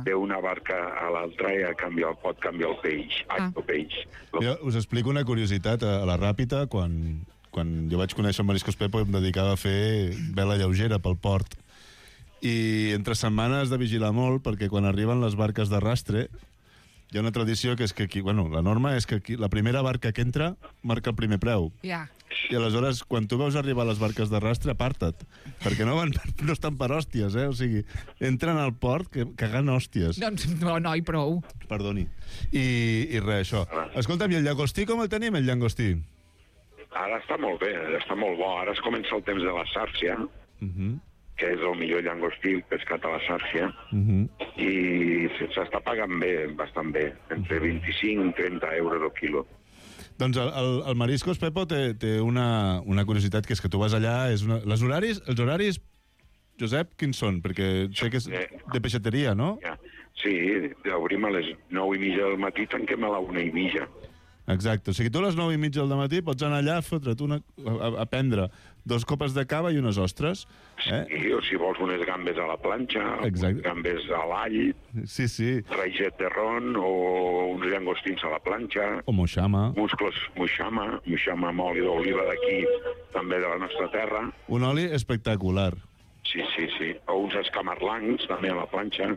d'una barca a l'altra i a canviar, pot canviar el peix. Ah. El peix. Jo us explico una curiositat. A la Ràpita, quan, quan jo vaig conèixer el Mariscos Pepo, em dedicava a fer vela lleugera pel port. I entre setmanes de vigilar molt, perquè quan arriben les barques d'arrastre, hi ha una tradició que és que aquí, bueno, la norma és que aquí, la primera barca que entra marca el primer preu. Ja. I aleshores, quan tu veus arribar les barques d'arrastre, aparta't, perquè no, van, no estan per hòsties, eh? O sigui, entren al port que, cagant hòsties. Doncs no, no, i prou. Perdoni. I, i res, això. Escolta'm, i el llagostí com el tenim, el llagostí? Ara està molt bé, està molt bo. Ara es comença el temps de la sàrcia, uh-huh. que és el millor llangostí pescat a la sàrcia, uh-huh. i s'està pagant bé, bastant bé, entre vint-i-cinc i trenta euros al quilo. Doncs el, el, el Mariscos, Pepo, té, té una, una curiositat, que és que tu vas allà... És una... Les horaris, els horaris, Josep, quins són? Perquè sé que és de peixateria, no? Sí, obrim a les nou i mitja del matí, tanquem a la una i mitja. Exacte. O sigui, tu a les nou i mitja del matí pots anar allà a fotre't una, a, a prendre dos copes de cava i unes ostres. Eh? Sí, o si vols unes gambes a la planxa, unes gambes a l'all, sí, sí. raiget de ron o uns llangostins a la planxa. O moixama. Musclos, moixama, moixama amb oli d'oliva d'aquí, també de la nostra terra. Un oli espectacular. Sí, sí, sí. O uns escamarlancs, també a la planxa.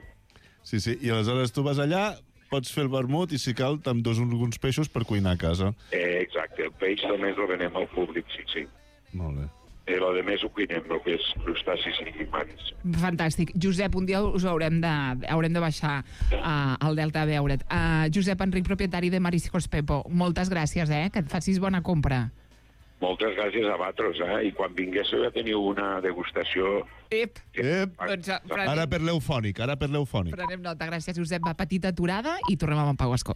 Sí, sí. I aleshores tu vas allà, pots fer el vermut i, si cal, t'endós uns peixos per cuinar a casa. Eh, exacte. El peix només el venem al públic, sí, sí. Molt bé. I el de més ho cuinem, el que és crustacis i maris. Fantàstic. Josep, un dia us haurem de, haurem de baixar uh, al Delta a veure't. Uh, Josep Enric, propietari de Mariscos Pepo, moltes gràcies, eh? Que et facis bona compra. Moltes gràcies a vosaltres, eh? I quan vinguéssiu ja teniu una degustació... Ep. Ep. Doncs, eh, prenem, Ara per l'eufònic, ara per l'eufònic. prenem nota. Gràcies, Josep. Va, petita aturada i tornem amb en Pau Escó.